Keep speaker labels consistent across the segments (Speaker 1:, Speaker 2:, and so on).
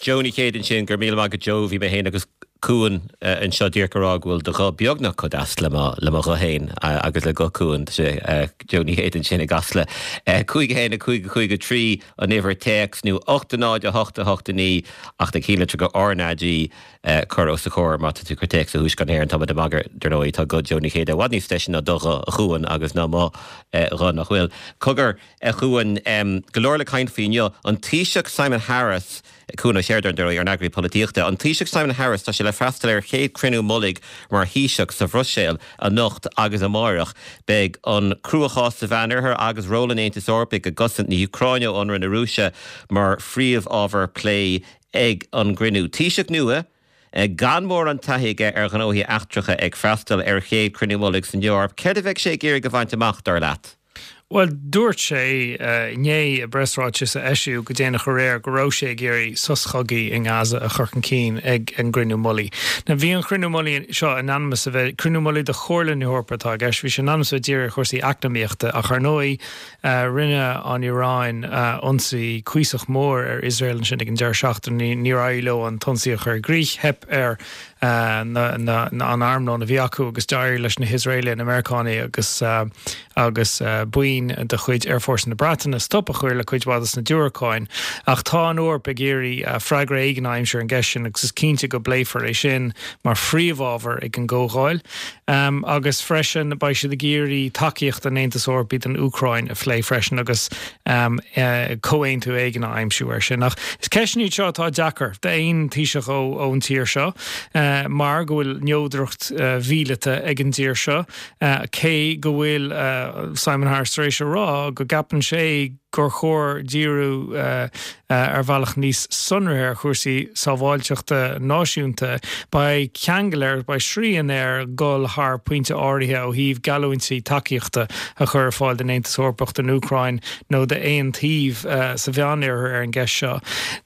Speaker 1: Joe Ní Chéide ansin, go raibh míle maith agat Joe, bhí mé féin agus Cuan anseo díreach ag rá go bhfuil do ghuth beagnach chomh deas le mo le mo ghuth féin agus le guth Cuan, tá sé Joe Ní Chéide ansin i gCasla. 5 1 5 5 3 an uimhir téacs nó 8 0 8 8 9 ach na ceannlitreacha RnaG cur os a chomhair má tá tú ag cur téacs ó Thuaisceart na hÉireann. Tá muid ag magadh, dar ndóigh, tá guth Joe Ní Chéide i bhfad níos deise ná do ghuth, a Chuan, agus ná mo ghuth, nach bhfuil? Cogar, a Chuain, go leor le caint faoi inniu. An Taoiseach Simon Harris, Cuan Ó Seireadáin, dar ndóigh, ár n-eagraí polaitíochta. An Taoiseach Simon Harris, tá sé le freastal ar a chéad chruinniú mullaigh mar Thaoiseach sa Bhruiséil anocht agus amáireach. Beidh an cruachás sa Mheánoirthear agus ról an Aontais Eorpaigh i gcosaint na hÚcráine ó ionradh na Rúise mar phríomhábhar plé ag an gcruinniú. Taoiseach nua, gan mórán taithí aige ar ghnóthaí eachtracha ag freastal ar a chéad chruinniú mullaigh san Eoraip. Céard a bheidh sé ag iarraidh a bhaint amach, dar leat?
Speaker 2: Bhuel, dúirt sé inné i bpreasráiteas a eisíodh go déanach aréir go raibh sé ag iarraidh sos cogaidh i nGaza a chur chun cinn ag an gcruinniú mullaigh. Now bhí an chruinniú mullaigh seo in ainm is a bheith, cruinniú mullaigh de Chomhairle na hEorpa atá i gceist, bhí sé in ainm is a bheith dírithe ar chúrsaí eacnamaíochta ach ar ndóigh rinne an Iaráin ionsaí cuíosach mór ar Iosrael ansin ag an deireadh seachtaine, níor éirigh leo an t-ionsaí a chur i gcrích, theip ar an armlón a bhí acu agus d'éirigh leis na hIosraelaigh, na Meiriceánaigh agus agus buíon de chuid Aerfhórsa na Breataine stop a chur le cuid mhaith des na diúracáin. Ach tá an Eoraip ag iarraidh freagra éigin a aimsiú ar an gceist sin agus is cinnte go bpléifear é sin mar phríomhábhar ag an gcomhdháil. Agus freisin beidh siad ag iarraidh tacaíocht an Aontais Eorpaigh don Úcráin a phlé freisin agus comhaontú éigin a aimsiú air sin. Ach is ceisteanna iad seo atá deacair d'aon Taoiseach ón tír seo mar go bhfuil neodracht mhíleata ag an dtír seo, cé go bhfuil Simon Harris tar éis a rá go gceapann sé gur chóir díriú ar bhealach níos sonraithe ar chúrsaí sábháilteachta náisiúnta. Beidh ceangal air, beidh srian air dul thar pointe áirithe ó thaobh geallúintí tacaíochta a chur ar fáil don Aontas Eorpach, don Úcráin nó d'aon taobh sa Mheánoirthear ar an gceist seo.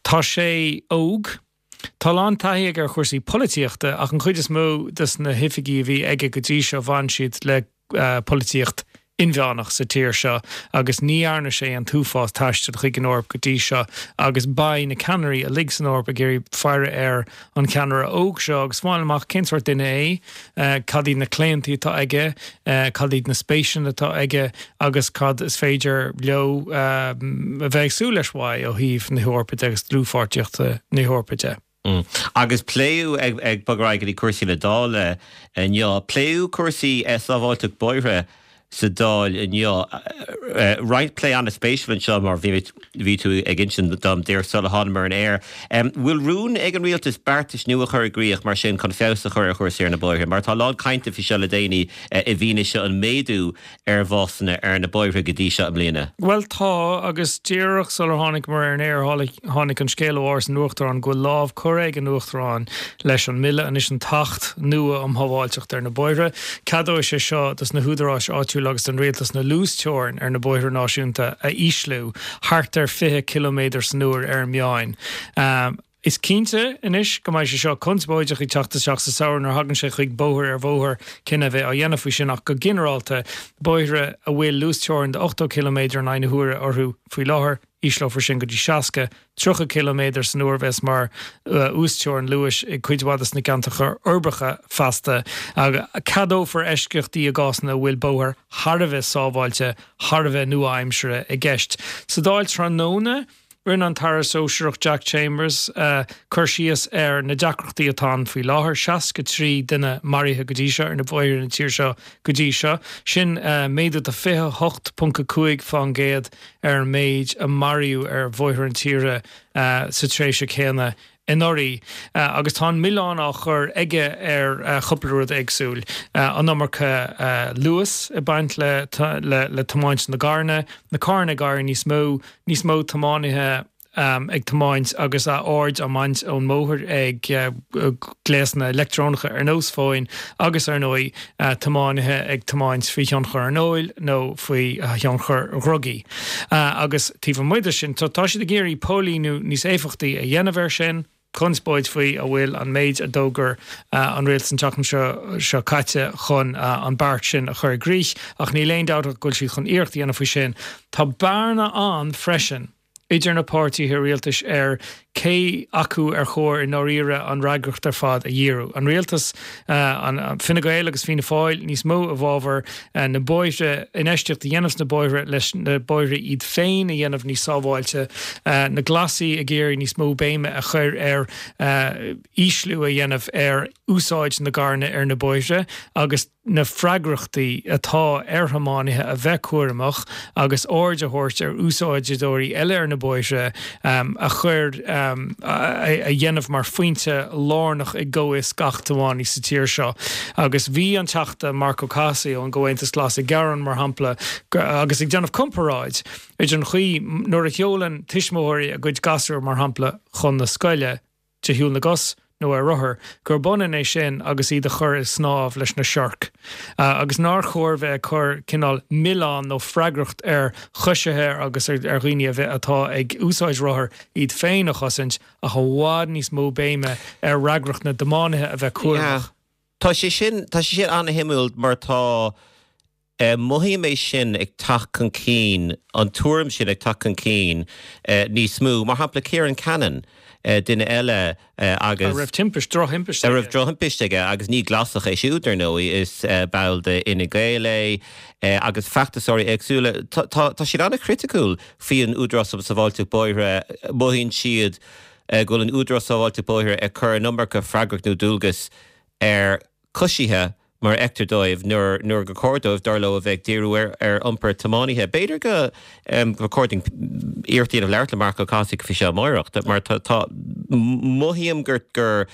Speaker 2: Tá sé óg. Tá a lán taithí aige ar chúrsaí polaitíochta ach an chuid is mó des na hoifigí a bhí aige go dtí seo bhain siad le polaitíocht inmheánach sa tír seo agus ní dhearna sé an t-uafás taistil chuig an Eoraip go dtí seo agus beidh na ceannairí uilig san Eoraip ag iarraidh faire ar an cheannaire óg seo agus fáil amach cén sórt duine é, cad iad na claontaí atá aige, cad iad na spéiseanna atá aige agus cad is féidir leo a bheith ag súil leis uaidh ó thaobh na hEorpa de agus dlúthpháirtíochta na hEorpa de.
Speaker 1: Agus pléadh, ag bogadh ar aghaidh go dtí cúrsaí na Dála inniu, pléadh cúrsaí sábháilteacht bóithre sa Dáil inniu. Roinnt plé an-spéisiúil anseo mar bhí bhí tú ag insint dom díreach sula thánamar ar an aer. Bhfuil rún ag an rialtas beartais nua a chur i gcrích mar sin chun feabhas a chur ar chúrsaí ar na bóithre? Mar tá a lán cainte faoi seo le déanaí i bhfianaise an méadú ar bhásanna ar na bóithre go dtí seo i mbliana?
Speaker 2: Bhuel tá, agus díreach sular tháinig-mar ar an aer tháinig an scéal ó Áras an Uachtaráin go bhfuil lámh curtha ag an Uachtarán leis an mbille, anois an tAcht nua um Shábháilteacht ar na Bóithre. Ceadóidh sé seo dos na húdaráis áitiúla agus don rialtas na luasteorainn ar na bóithre náisiúnta a ísliú thart ar 20 ciliméadar san uair ar an meáin. Is cinnte anois go mbeidh sé seo conspóideach ag teacht isteach sa samhradh nuair a thagann sé chuig bóthar ar bhóthar cinneadh a bheith á dhéanamh faoi sin ach go ginearálta, bóithre a bhfuil luasteorainn de 80 ciliméadar in aghaidh na huaire orthu faoi láthair, ísleofar sin go dtí 60, 30 ciliméadar san uair a bheas mar uasteorainn luais i gcuid mhaith de na ceantracha uirbeacha feasta. Ceadófar eisceachtaí i gcásanna a bhfuil bóthar thar a bheith sábháilte, thar a bheith nua-aimseartha i gceist. Sa Dáil tráthnóna, Rinne an tAire Sóisearach Jack Chambers cur síos ar na deacrachtaí atá ann faoi láthair, 63 duine maraithe go dtí seo ar na bóithre na tíre seo go dtí seo. Sin méadú de 28.5 fán gcéad ar an méid a maraíodh ar bhóithre na tíre sa tréimhse céanna anuraidh agus tá an milleán á chur aige ar chúpla rud éagsúil, an iomarca luas ag baint le le tiomáint na gcarranna, na carranna ag éirí níos mó, níos mó tiománaithe ag tiomáint agus a aird á mbaint ón mbóthar ag gléasanna leictreonacha ar nós fóin agus ar ndóigh tiománaithe ag tiomáint faoi thionchar an óil nó faoi thionchar dhrugaí. Agus taobh amuigh de sin, tá siad ag iarraidh póilíniú níos éifeachtaí a dhéanamh air sin, conspóid faoi an bhfuil an méid a d'fhógair an rialtas an tseachtain seo seo caite chun an beart sin a chur i gcrích, ach níl aon dabht ach go bhfuil siad chun iarracht a dhéanamh faoi sin. Tá bearna ann freisin. idir na páirtithe rialtais ar cé acu ar chóir i ndáiríre an fhreagracht ar fad a dhíriú. An rialtas, an Fine Gael agus Fianna Fáil níos mó i bhfabhar na bóithre, infheistíocht a dhéanamh sna bóithre leis na bóithre iad féin a dhéanamh níos sábháilte, na Glasaigh ag iarraidh níos mó béime a chur ar ísliú a dhéanamh ar úsáid na gcarranna ar na bóithre agus. na freagrachtaí atá ar thiománaithe a bheith cúramach agus aird a thabhairt ar úsáideoirí eile ar na bóithre a chur a dhéanamh mar phointe lárnach i gcomhfhios gach tiománaí sa tír seo. Agus bhí an Teachta Marc Ó Cathasaigh ón gComhaontas Glas ag gearán, mar shampla, agus ag déanamh comparáid idir an chaoi nuair a sheolann tuismitheoirí a gcuid gasúr, mar shampla, chun na scoile, de shiúl na gcos nó ar rothar, gurb ionann é sin agus iad a chur ag snámh leis na siorc, agus nár chóir bheith ag cur cineál milleán nó freagracht ar choisithe agus ar dhaoine a bheith atá ag úsáid rothar iad féin a chosaint, ach i bhfad níos mó béime ar fhreagracht na dtiománaithe a bheith cúramach.
Speaker 1: Tá sé sin, tá sé sin an-shuimiúil mar tá. Mothaím é sin ag teacht chun cinn, an tuairim sin ag teacht chun cinn níos mó. Mar shampla, Ciaran Cannon, duine eile agus.
Speaker 2: A raibh timpist, drochthimpist
Speaker 1: aige. A raibh drochthimpist aige agus ní Glasach é siúd, ar ndóigh, is ball de Fhine Gael é agus feachtasóirí éagsúla. Tá siad an-chriticiúil faoin Údarás um Sábháilteacht Bóithre. Mothaíonn siad go bhfuil an Údarás Sábháilteacht Bóithre ag cur an iomarca freagracht nó dualgas ar choisithe mar a fheictear dóibh, nuair nuair gur chóir dóibh, dar leo, a bheith ag díriú ar ar iompar tiománaithe. B'fhéidir go gur chóir dúinn iarracht a dhéanamh labhairt le Marc Ó Cathasaigh faoi seo amáireach, mar tá tá mothaím gur gur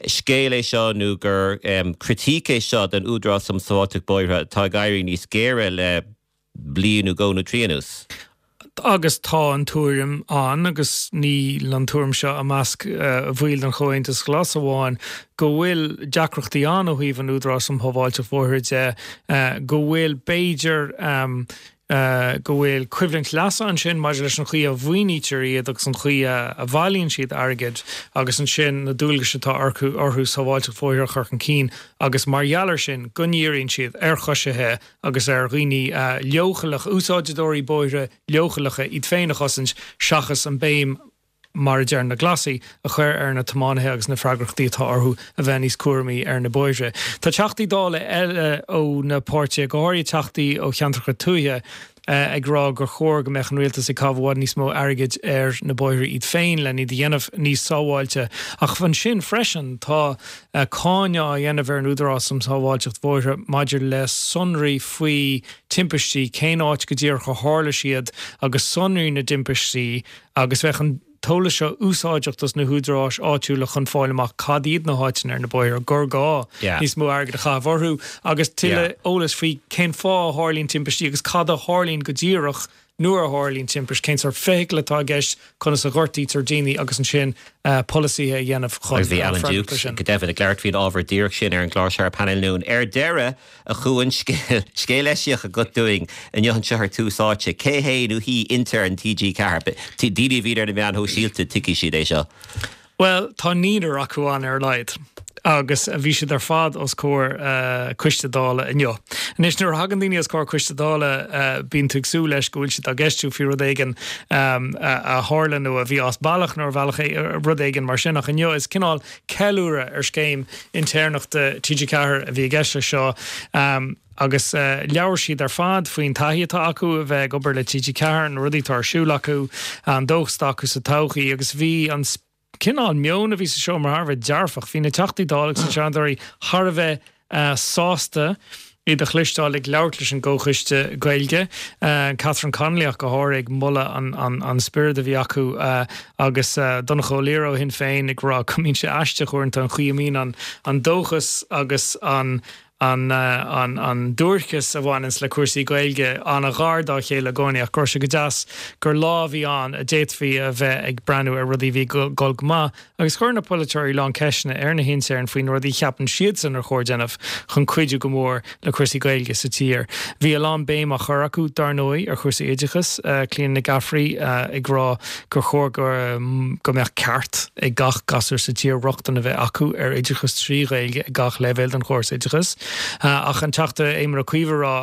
Speaker 1: scéal é seo nó gur critique é seo den Údarás um Sábháilteacht Bóithre atá ag éirí níos géire le bliain nó dhó nó trí anuas.
Speaker 2: Agus tá an tuairim ann, agus níl an tuairim seo i measc bhaill den Chomhaontas Glas amháin, go bhfuil deacrachtaí ann ó thaobh an Údaráis um Shábháilteacht Bhóithre de, go bhfuil, b'fhéidir, go bhfuil coimhlint leasa ansin maidir leis an chaoi a mhaoinítear iad agus an chaoi a bhailíonn siad airgead agus ansin na dualgais atá orthu sábháilteacht bhóithre a chur chun cinn agus mar gheall air sin go ndíríonn siad ar choisithe agus ar dhaoine leochaileacha, úsáideoirí bóithre leochaileacha, iad féin a chosaint seachas an béim, mar a deir na Glasaigh, a chur ar na tiománaithe agus na freagrachtaí atá orthu a bheith níos cúramaí ar na bóithre. Tá Teachtaí Dála eile ó na páirtithe, go háirithe Teachtaí ó cheantracha tuaithe, ag rá gur chóir go mbeadh an rialtas ag caitheamh i bhfad níos mó airgid ar na bóithre iad féin len iad a dhéanamh níos sábháilte. Ach ansin freisin tá cáineadh á dhéanamh ar an Údarás um Shábháilteacht Bhóithre maidir le sonraí faoi timpistí, cén áit go díreach a tharla siad agus sonraí na dtimpistí agus bheadh an t-eolas seo úsáideach dos na húdaráis áitiúla chun fáil amach cad iad na háiteanna ar na bóithre gur gá níos mó airgid a chaitheamh orthu agus tuilleadh eolais faoi cén fáth a tharlaíonn timpistí agus cad a tharlaíonn go díreach nuair a tharlaíonn timpist, cén sórt feithicle atá i gceist, conas a ghortaítear daoine agus ansin polasaithe a dhéanamh chun
Speaker 1: Agus bhí Alan
Speaker 2: freagairt
Speaker 1: air sin. Go deimhin, ag labhairt faoin ábhar díreach sin ar an gclár seo ar Painéal Noon. Ar deireadh, a Chuain, scéal, scéal eisiach agat dúinn inniu anseo ar Tús Áite. Cé hé nó hí intern TG4? Daoine a bhíonn ar na meáin shóisialta, tuigfidh siad é seo.
Speaker 2: Bhuel, tá naonúr acu ann ar a laghad agus bhí siad ar fad os comhair coiste Dála inniu. Anois, nuair a thagann daoine os comhair coiste Dála, bíonn tú ag súil leis go bhfuil siad á gceistiú faoi rud éigin a tharla nó a bhí as bealach nó ar bhealach rud éigin mar sin ach inniu is cineál ceiliúradh ar scéim intéirneachta TG4 a bhí i gceist leis seo. Agus labhair siad ar fad faoin taithí atá acu a bheith ag obair le TG4, na rudaí atá ar siúl acu, an dóchas atá acu sa todhchaí agus bhí an cineál meon a bhí sa seomra thar a bheith dearfach. Bhí na Teachtaí Dála agus na Seanadóirí thar a bheith sásta iad a chloisteáil ag labhairt leis an gComhchoiste Gaeilge, Catherine Connolly ach go háirithe ag moladh an spiorad a bhí acu agus Donncha Ó Laoghaire ó Shinn Féin ag rá go mbíonn sé aisteach uaireanta an chaoi a mbíonn an dóchas agus an an an duairceas a bhaineanns le cúrsaí Gaeilge an-ghar dá chéile i gcónaí ach go raibh sé go deas gur lá a bhí ann a d'fhéadfaí a bheith ag breathnú ar rudaí a bhí ag dul go maith agus chuir na polaiteoirí a lán ceisteanna ar na hintéirn faoi na rudaí a cheapann siadsan ar chóir déanamh chun cuidiú go mór le cúrsaí Gaeilge sa tír. Bhí a lán béim á chur acu, dar ndóigh, ar chúrsaí oideachais, Clíona Nic Gafraidh ag rá gur chóir go go mbeadh ceart ag gach gasúr sa tír rochtain a bheith acu ar oideachas trí Ghaeilge ag gach leibhéal den chóras oideachais. Ach an Teachta Éamon Ó Cuív ag rá.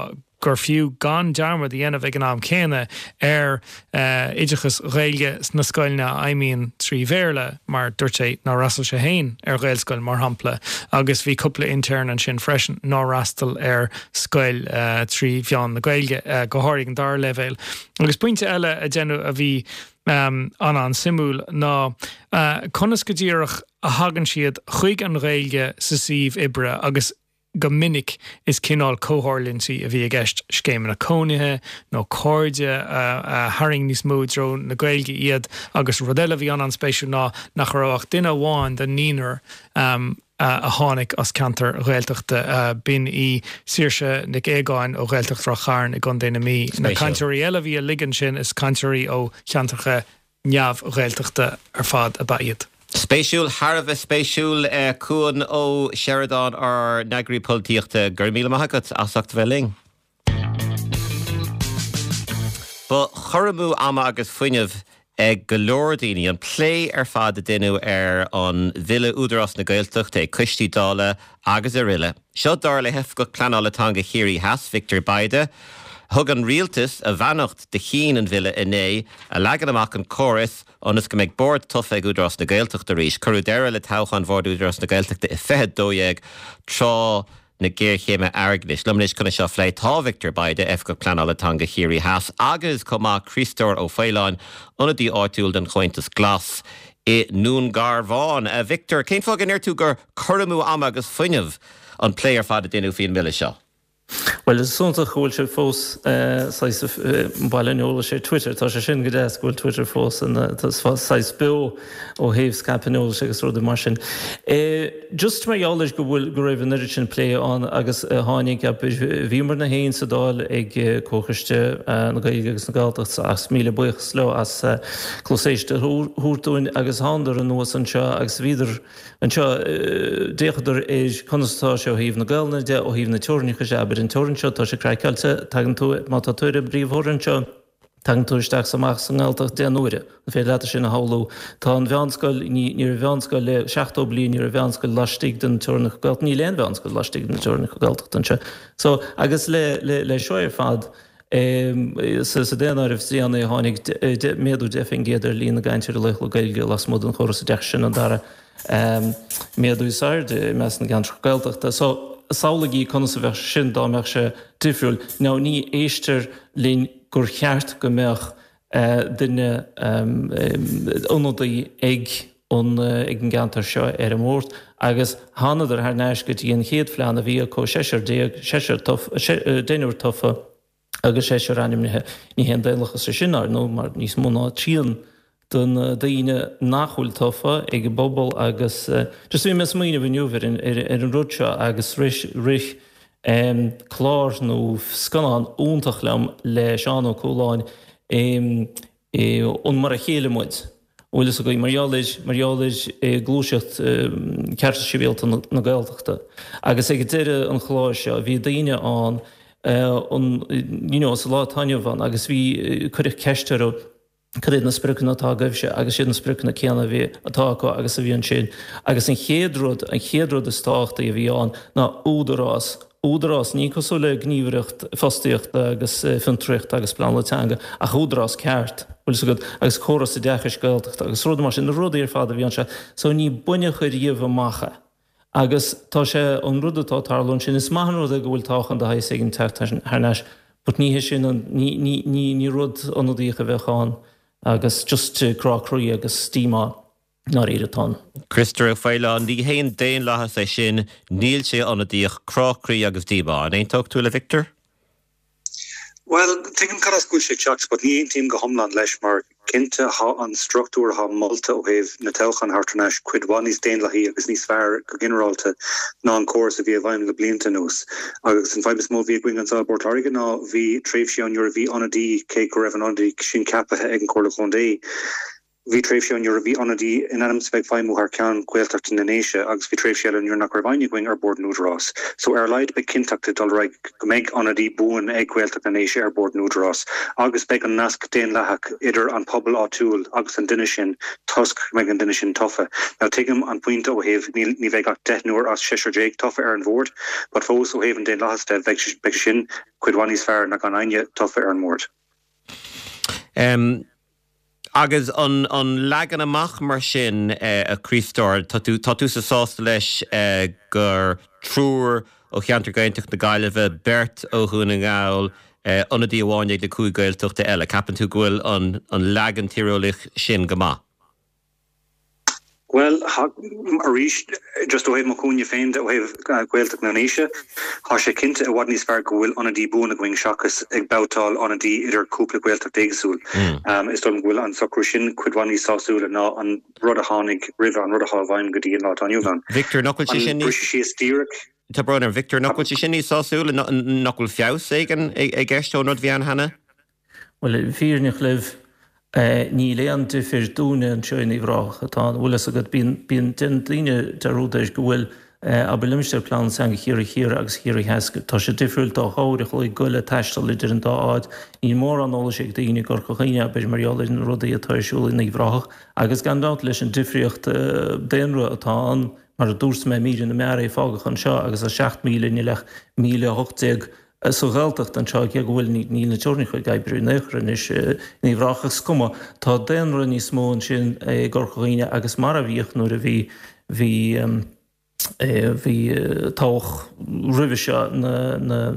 Speaker 2: gur fiú gan dearmad a dhéanamh ag an am céanna ar oideachas Ghaeilge sna scoileanna a fheidhmíonn trí Bhéarla, mar dúirt sé nár fhreastail sé féin ar Ghaelscoil, mar shampla, agus bhí cúpla intern ansin freisin nár fhreastail ar scoil trí mheán na Gaeilge, go háirithe ag an dara leibhéal. Agus pointe eile a deineadh a bhí an-an-suimiúil ná conas go díreach a thagann siad chuig an Ghaeilge sa suíomh oibre agus go minic is cineál comhtharlúintí a bhí i gceist, scéimeanna cónaithe nó cairde a tharraing níos mó i dtreo na Gaeilge iad agus rud eile a bhí an-an-spéisiúil ná nach raibh ach duine amháin den naonúr a tháinig as ceantar Ghaeltachta, b'in í Saoirse Nic Aogáin ó Ghaeltacht Ráth Chairn i gContae na Mí. Na cainteoirí eile a bhí uilig ansin is cainteoirí ó cheantracha neamh-Ghaeltachta ar fad ab ea iad.
Speaker 1: Spéisiúil, thar a bheith spéisiúil. Cuan Ó Seireadáin, ár n-eagraí polaitíochta, go raibh míle maith agat as ucht a bheith linn. Ba chur amú ama agus fuinnimh ag go leor daoine an plé ar fad a deineadh ar an Bhille Údarás na Gaeltachta ag coistí Dála agus aroile. Seo dar le hOifigeach Pleanála Teanga Chiarraí Theas, Victor Bayda. Thug an Rialtas a bheannacht do chinn an bhille inné, a leagann amach an córas ionas go mbeidh bord tofa ag Údarás na Gaeltachta arís. Cuireadh deireadh le toghcháin Bhord Údarás na Gaeltachta i 2012 tráth na géarchéime airgeadais. Liom anois chun é seo a phlé tá Victor Bayda, Oifigeach Pleanála Teanga Chiarraí Theas agus chomh maith Críostóir Ó Faoláin, ionadaí áitiúil don Chomhaontas Glas i nDún Garbhán. A Victor, cén fáth go ndeir tú gur cur amú ama agus fuinnimh an plé ar fad a deineadh faoin mbille seo?
Speaker 3: Bhuel, is iontach go bhfuil sé fós saghas baile an eolais ar Twitter. Tá sé sin go deas go bhfuil Twitter fós ina saghas beo ó thaobh scaipeadh an eolais agus rudaí mar sin. Just mar gheall air go bhfuil, go raibh an oiread sin plé ann agus a tháinig, bhíomarna féin sa Dáil ag Comhchoiste na Gaeilge agus na Gaeltachta agus míle buíochas leo as cluas éisteachta a thabhairt dúinn agus thánadar anuas anseo agus bhíodar Anseo, d'fhéachadar ar conas atá sé ó thaobh na Gaelainne de, ó thaobh na teorainneacha de, abair an teorainn seo, tá sé craiceáilte, tagann tú, má tá tú ar an bpríomhtheorainn seo, tagann tú isteach is amach sa nGaeltacht deich n-uaire. An féidir leat é sin a shamhlú? Tá an mheánscoil, ní, ní raibh mheánscoil le 70 bliain, ní raibh mheánscoil laistigh den teorainneacha Gaeltachta, níl aon mheánscoil laistigh de na teorainneacha Gaeltachta anseo. So, agus le, le, le seo ar fad, Sa daonáireamh is déanaí tháinig méadú 10% ar líon na gcainteoirí laethúla Gaeilge lasmuigh den chóras oideachais, sin an dara méadú is airde i measc na gceantracha Gaeltachta. So, samhlaígí conas a bheadh sé sin dá mbeadh sé difriúil. Now, ní éistear linn gur cheart go mbeadh duine, ionadaí ag an ag an gceantar seo ar an mbord agus thánadar thar n-ais go dtí an chéad phlean a bhí acu, seisear déag, seisear tofa, deichniúr tofa agus seisear ainmnithe. Ní haon daonlathas é sin, ar ndóigh, mar níos mó ná trian de na daoine nach bhfuil tofa ag an bpobal agus just bhí mé ag smaoineamh inniu ar an ar an rud seo agus rith rith clár nó scannán iontach liom le Seán Ó Cualáin an Mar a Chéile Muid, an bhfuil fhios agaibh, mar gheall ar, mar gheall ar gluaiseacht cearta sibhialta na Gaeltachta. Agus ag deireadh an chláir seo bhí daoine ann an you know sa lá atá inniu ann agus bhí, cuireadh ceist orthu cad iad na spriocanna atá agaibhse agus siad na spriocanna céanna a bhí, atá acu agus a bhí ansin. Agus an chéad rud, an chéad rud is tábhachtaí a bhí ann ná údarás Údarás, ní cosúil le gníomhaireacht fostaíochta agus fiontraíochta agus pleanála teanga, ach údarás ceart, bhfuil fhios agat, agus córas oideachais Gaeltachta agus rudaí mar sin, na rudaí ar fad a bhí anseo. So ní baineadh ariamh amach é. Agus tá sé, an rud atá ag tarlú ansin, is maith an rud é go bhfuil toghchán de shaghas éigin teacht thar n-ais, but ní hé sin an, ní, ní, ní, ní rud ionadaíoch a bheadh ann agus just crá croí agus díomá. ndáiríre atá ann.
Speaker 1: Criostóir Ó Faoláin, Ní haon daonlathas é sin, níl sé ionadaíoch, crá croí agus díomá. An aontódh tú le Victor?
Speaker 4: Bhuel, tuigim cad as go bhfuil sé ag teacht but ní aontaím go hiomlán leis mar cinnte tá an struchtúr atá molta ó thaobh na toghcháin a thabhairt thar n-ais cuid mhaith níos daonlathaí agus níos fearr go ginearálta ná an córas a bhí i bhfeidhm le blianta anuas. Agus an fadhb is mó a bhí againn anseo i bPort Láirge ná bhí tréimhsí ann nuair a bhí ionadaí, cé go raibh an ionadaí sin ceapaithe ag an Chomhairle Chontae. Bhí tréimhse ann nuair a bhí ionadaí in ainm is a bheith ag feidhmiú thar ceann Ghaeltacht na nDéise agus bhí tréimhse eile nuair nach raibh éinne againn ar bord an Údarás. So ar a laghad beidh cinnteacht ag dul ar aghaidh go mbeidh ionadaí buan ag Gaeltacht na nDéise ar bord an Údarás agus beidh an nasc daonlathach idir an pobal áitiúil agus an duine sin toisc go mbeidh an duine sin tofa. Now tuigim an pointe ó thaobh níl ní bheidh ach deichniúr as seisear déag tofa ar an bhord but fós ó thaobh an daonlathas de bheidh sé sin cuid mhaith níos fearr ná gan éinne tofa ar an mbord.
Speaker 1: Agus an leagan amach mar sin, a Chriostóir, tá tú, tá tusa sásta leis gur triúr ó cheantar Gaeltacht na Gaillimhe, beirt ó Dhún na nGall, ionadaí amháin ag na cúig Gaeltachta eile. Ceapann tú go bhfuil an leagan tíreolaíoch sin go maith?
Speaker 4: Bhuel, arís, just ó thaobh mo chúinne féin de, ó thaobh Ghaeltacht na nDéise, tá sé cinnte i bhfad níos fearr go bhfuil ionadaí buan againn seachas ag babhtáil ionadaí idir cúpla Gaeltacht éagsúil. Is dóigh liom go bhfuil an socrú sin cuid mhaith níos sásúla ná an rud a tháinig roimhe, an rud atá i bhfeidhm go dtí an lá atá inniu ann.
Speaker 1: Victor, nach bhfuil sé sin
Speaker 4: níos. An briseadh síos díreach.
Speaker 1: Tá brón orm, Victor, nach bhfuil sé sin níos sásúla? Nach bhfuil feabhas éigin i gceist ón rud a bhí ann cheana?
Speaker 3: Bhuel, fírinneach libh, níl aon difir dúinne anseo in Uíbh Ráthach atá ann. Bhfuil fhios agat, bíonn, bíonn, déanann daoine dearúd air go bhfuil, abair, limistéar pleanála teanga Chiarraí Thiar agus Chiarraí Theas, tá sé difriúil dá uair a chloig goil le taisteal idir an dá áit. Níl mórán eolais ag daoine i gCorca Dhuibhne, abair, mar gheall ar na rudaí atá ar siúl in Uíbh Ráthach. Agus gan dabht leis an difríocht daonra atá ann, mar a dúirt mé, míre na mbeár é fágadh anseo agus tá 7,000 níl ach 1,018 Sa Ghaeltacht anseo, cé go bhfuil, níl na teorainneacha ag oibriú in aon chor anois in Uíbh Ráthach, is cuma, tá daonra níos mó ansin i gCorca Dhuibhne agus mar a bhíodh nuair a bhí, bhí, bhí toghadh roimhe seo na, na,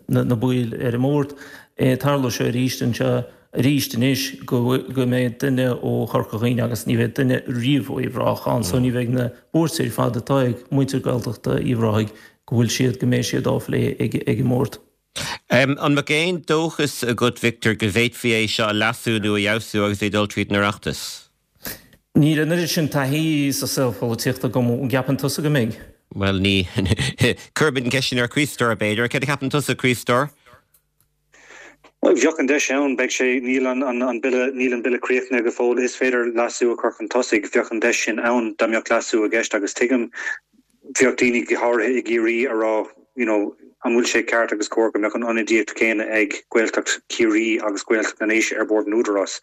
Speaker 3: na, na baill ar an mbord. Tarlóidh seo arís anseo arís anois go, go mbeidh duine ó Chorca Dhuibhne agus ní bheidh duine riamh ó Uíbh Ráthach ann so ní bheidh na buairtí ar fad atá ag muintir Gaeltachta Uíbh Ráthaigh go bhfuil siad, go mbeidh siad á phlé ag an mbord.
Speaker 1: An mbeadh aon dóchas agat, Victor, go bhféadfaí é seo a leasú nó a fheabhsú agus é ag dul tríd an Oireachtas?
Speaker 3: Níl an oiread sin taithí sa saol polaitíochta agam. An gceapann tusa go mbeidh?
Speaker 1: Bhuel, ní. Cuirfimid an ceist sin ar Chriostóir, b'fhéidir. Céard a cheapann tusa, Criostóir?
Speaker 4: Bheadh an deis ann, beidh sé, níl an bille, níl an bille críochnaithe go fóill, is féidir leasú a chur chun tosaigh, bheadh an deis sin ann dá mbeadh leasú i gceist agus tuigim, bheadh daoine go háirithe i gCiarraí a rá you know an bhfuil sé ceart agus cóir go mbeadh an ionadaíocht chéanna ag Gaeltacht Chiarraí agus Gaeltacht na nDéise ar bord an Údarás?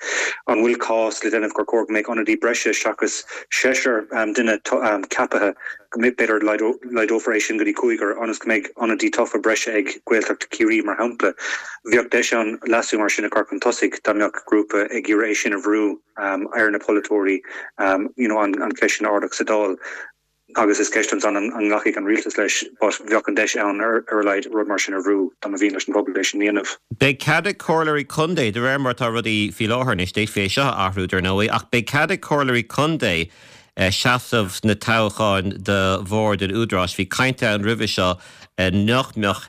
Speaker 4: An bhfuil cás le déanamh gur chóir go mbeadh ionadaí breise seachas seisear duine ceaptha? go mbeidh, b'fhéidir, laghdófar é sin go dtí cúigear, ionas go mbeidh ionadaí tofa breise ag Gaeltacht Chiarraí, mar shampla. Bheadh deis ann leasú mar sin a chur chun tosaigh dá mbeadh grúpa ag iarraidh é sin a bhrú ar na polaiteoirí, you know, an cheist sin a ardach sa Dáil. Agus is ceist ansan an nglacfaidh an rialtas leis, but bheadh an deis ann ar a laghad rud mar sin a bhrú dá mba mhian leis an bpobal é sin a dhéanamh.
Speaker 1: Beidh cead ag comhairleoirí contae, de réir mar atá rudaí faoi láthair anois, d'fhéadfaí é seo a athrú, dar ndóigh, ach beidh cead ag comhairleoirí contae seasamh sna toghcháin do bhord an Údaráis. Bhí caint ann roimhe seo nach mbeadh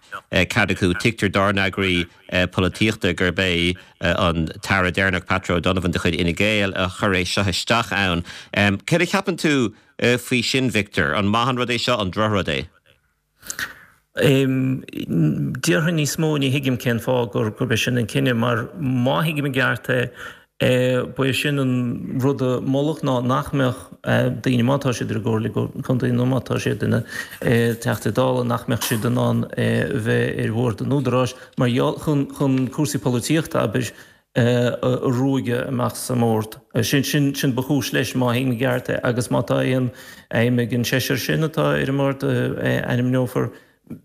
Speaker 1: cead acu. Tuigtear dár n-eagraí polaitíochta gurb é an t-aire deireanach, Patrick O'Donovan de chuid Fhine Gael, a chuir é seo isteach ann. Céard a cheapann tú faoi sin, Victor? An maith an rud é seo, an drochrud é?
Speaker 3: Déarfainn níos mó, ní thuigim cén fáth gurb é sin an cinneadh, mar má thuigim i gceart é, ba é sin an rud a moladh ná nach mbeadh daoine, má tá siad ar an gComhairle Contae nó má tá siad ina dTeachtaí Dála, nach mbeadh siad in ann bheith ar bhord an Údaráis mar gheall, chun cúrsaí polaitíochta, abair, a ruaigeadh amach as an mbord. Sin, sin, sin ba chúis leis, má thuigim i gceart é, agus má tá aon aidhm ag an seisear sin atá ar an mbord a ainmneofar,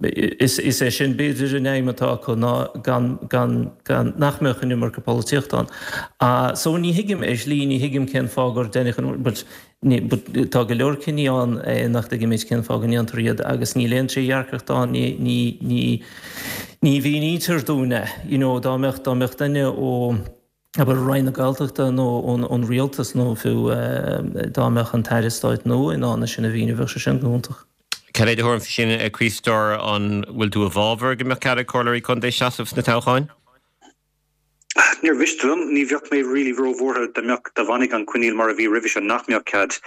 Speaker 3: is, is é sin b'fhéidir an aidhm atá acu ná gan, gan, gan, nach mbeadh an iomarca polaitíochta ann. So ní thuigim, ar shlí, ní thuigim cén fáth gur deineadh an, but, ní, but tá go leor cinní ann nach dtuigimid cén fáth go ndéantar iad agus níl aon trédhearcacht ann, ní, ní, ní, ní mhínítear dúinn é. You know, dá mbeadh, dá mbeadh duine ó, abair, Roinn na Gaeltachta nó ón, ón rialtas nó fiú dá mbeadh an tAire Stáit nua in ann é sin a mhíniú, bheadh sé sin go hiontach.
Speaker 1: Cad é do thuairim faoi sin, a Chriostóir, an bhfuil tú i bhfabhar go mbeadh cead ag comhairleoirí contae seasamh sna toghcháin?
Speaker 4: Níor mhiste liom. Ní bheadh mé really róbhuartha dá mbeadh, dá bhfanfadh an coinníoll mar a bhí roimhe seo nach mbeadh cead.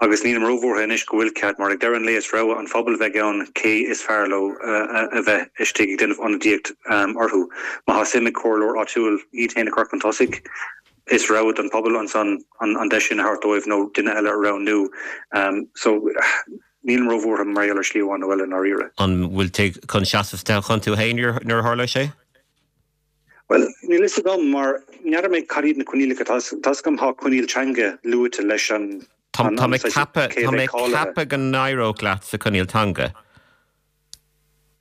Speaker 4: Agus nílim róbhuartha anois go bhfuil cead, mar ag deireadh an lae is rogha an phobail a bheidh ann cé is fearr leo a bheith istigh ag déanamh ionadaíocht orthu. Má tá suim ag comhairleoir áitiúil iad féin a chur chun tosaigh. Is rogha don phobal ansan an deis sin a thabhairt dóibh nó duine eile a roghnú. So, nílim róbhuartha mar gheall ar shlí amháin nó eile i ndáiríre.
Speaker 1: An bhfuil tú chun seasamh sa toghchán tú féin nuair a tharlóidh sé?
Speaker 4: Bhuel, níl fhios agam mar n'fheadar mé cad iad na coinníollacha. Tá fhios agam tá coinníoll teanga luaite leis an
Speaker 1: Tá mé ag ceapadh, tá mé ag ceapadh go n-éireodh leat sa choinníoll teanga.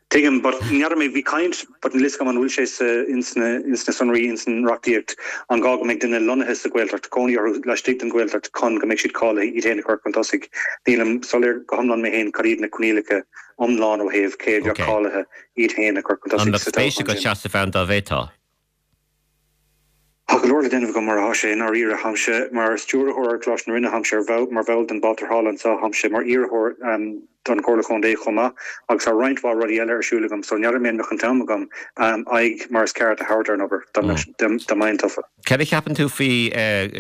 Speaker 4: Tuigim, but n'fheadar mé, bhí caint, but níl fhios agam an bhfuil sé sa, ins na, ins na sonraí, ins an reachtaíocht, an gá go mbeidh duine lonnaithe sa Ghaeltacht, cónaí orthu laistigh den Ghaeltacht chun go mbeidh siad cáilithe iad féin a chur chun tosaigh. Nílim soiléir go hiomlán mé féin cad iad na coinníollacha iomlán ó thaobh cé a bheadh cáilithe iad féin a chur chun
Speaker 1: tosaigh sa toghchán sin. An mbeadh spéis agat seasamh ann dá bhféadfá?
Speaker 4: Tá go leor le déanamh agam mar atá sé i ndáiríre. Táimse mar stiúrthóir ar Choláiste na Rinne, táimse ar bhall, mar bhall den Bhál Tarrthála anseo, táimse mar iarrthóir don Chomhairle Chontae chomh maith agus tá roinnt mhaith rudaí eile ar siúl agam so n'fheadar mé an mbeadh an t-am agam aghaidh mar is ceart a thabhairt ar an obair dá mbeinn tofa.
Speaker 1: Cad a cheapann tú faoi,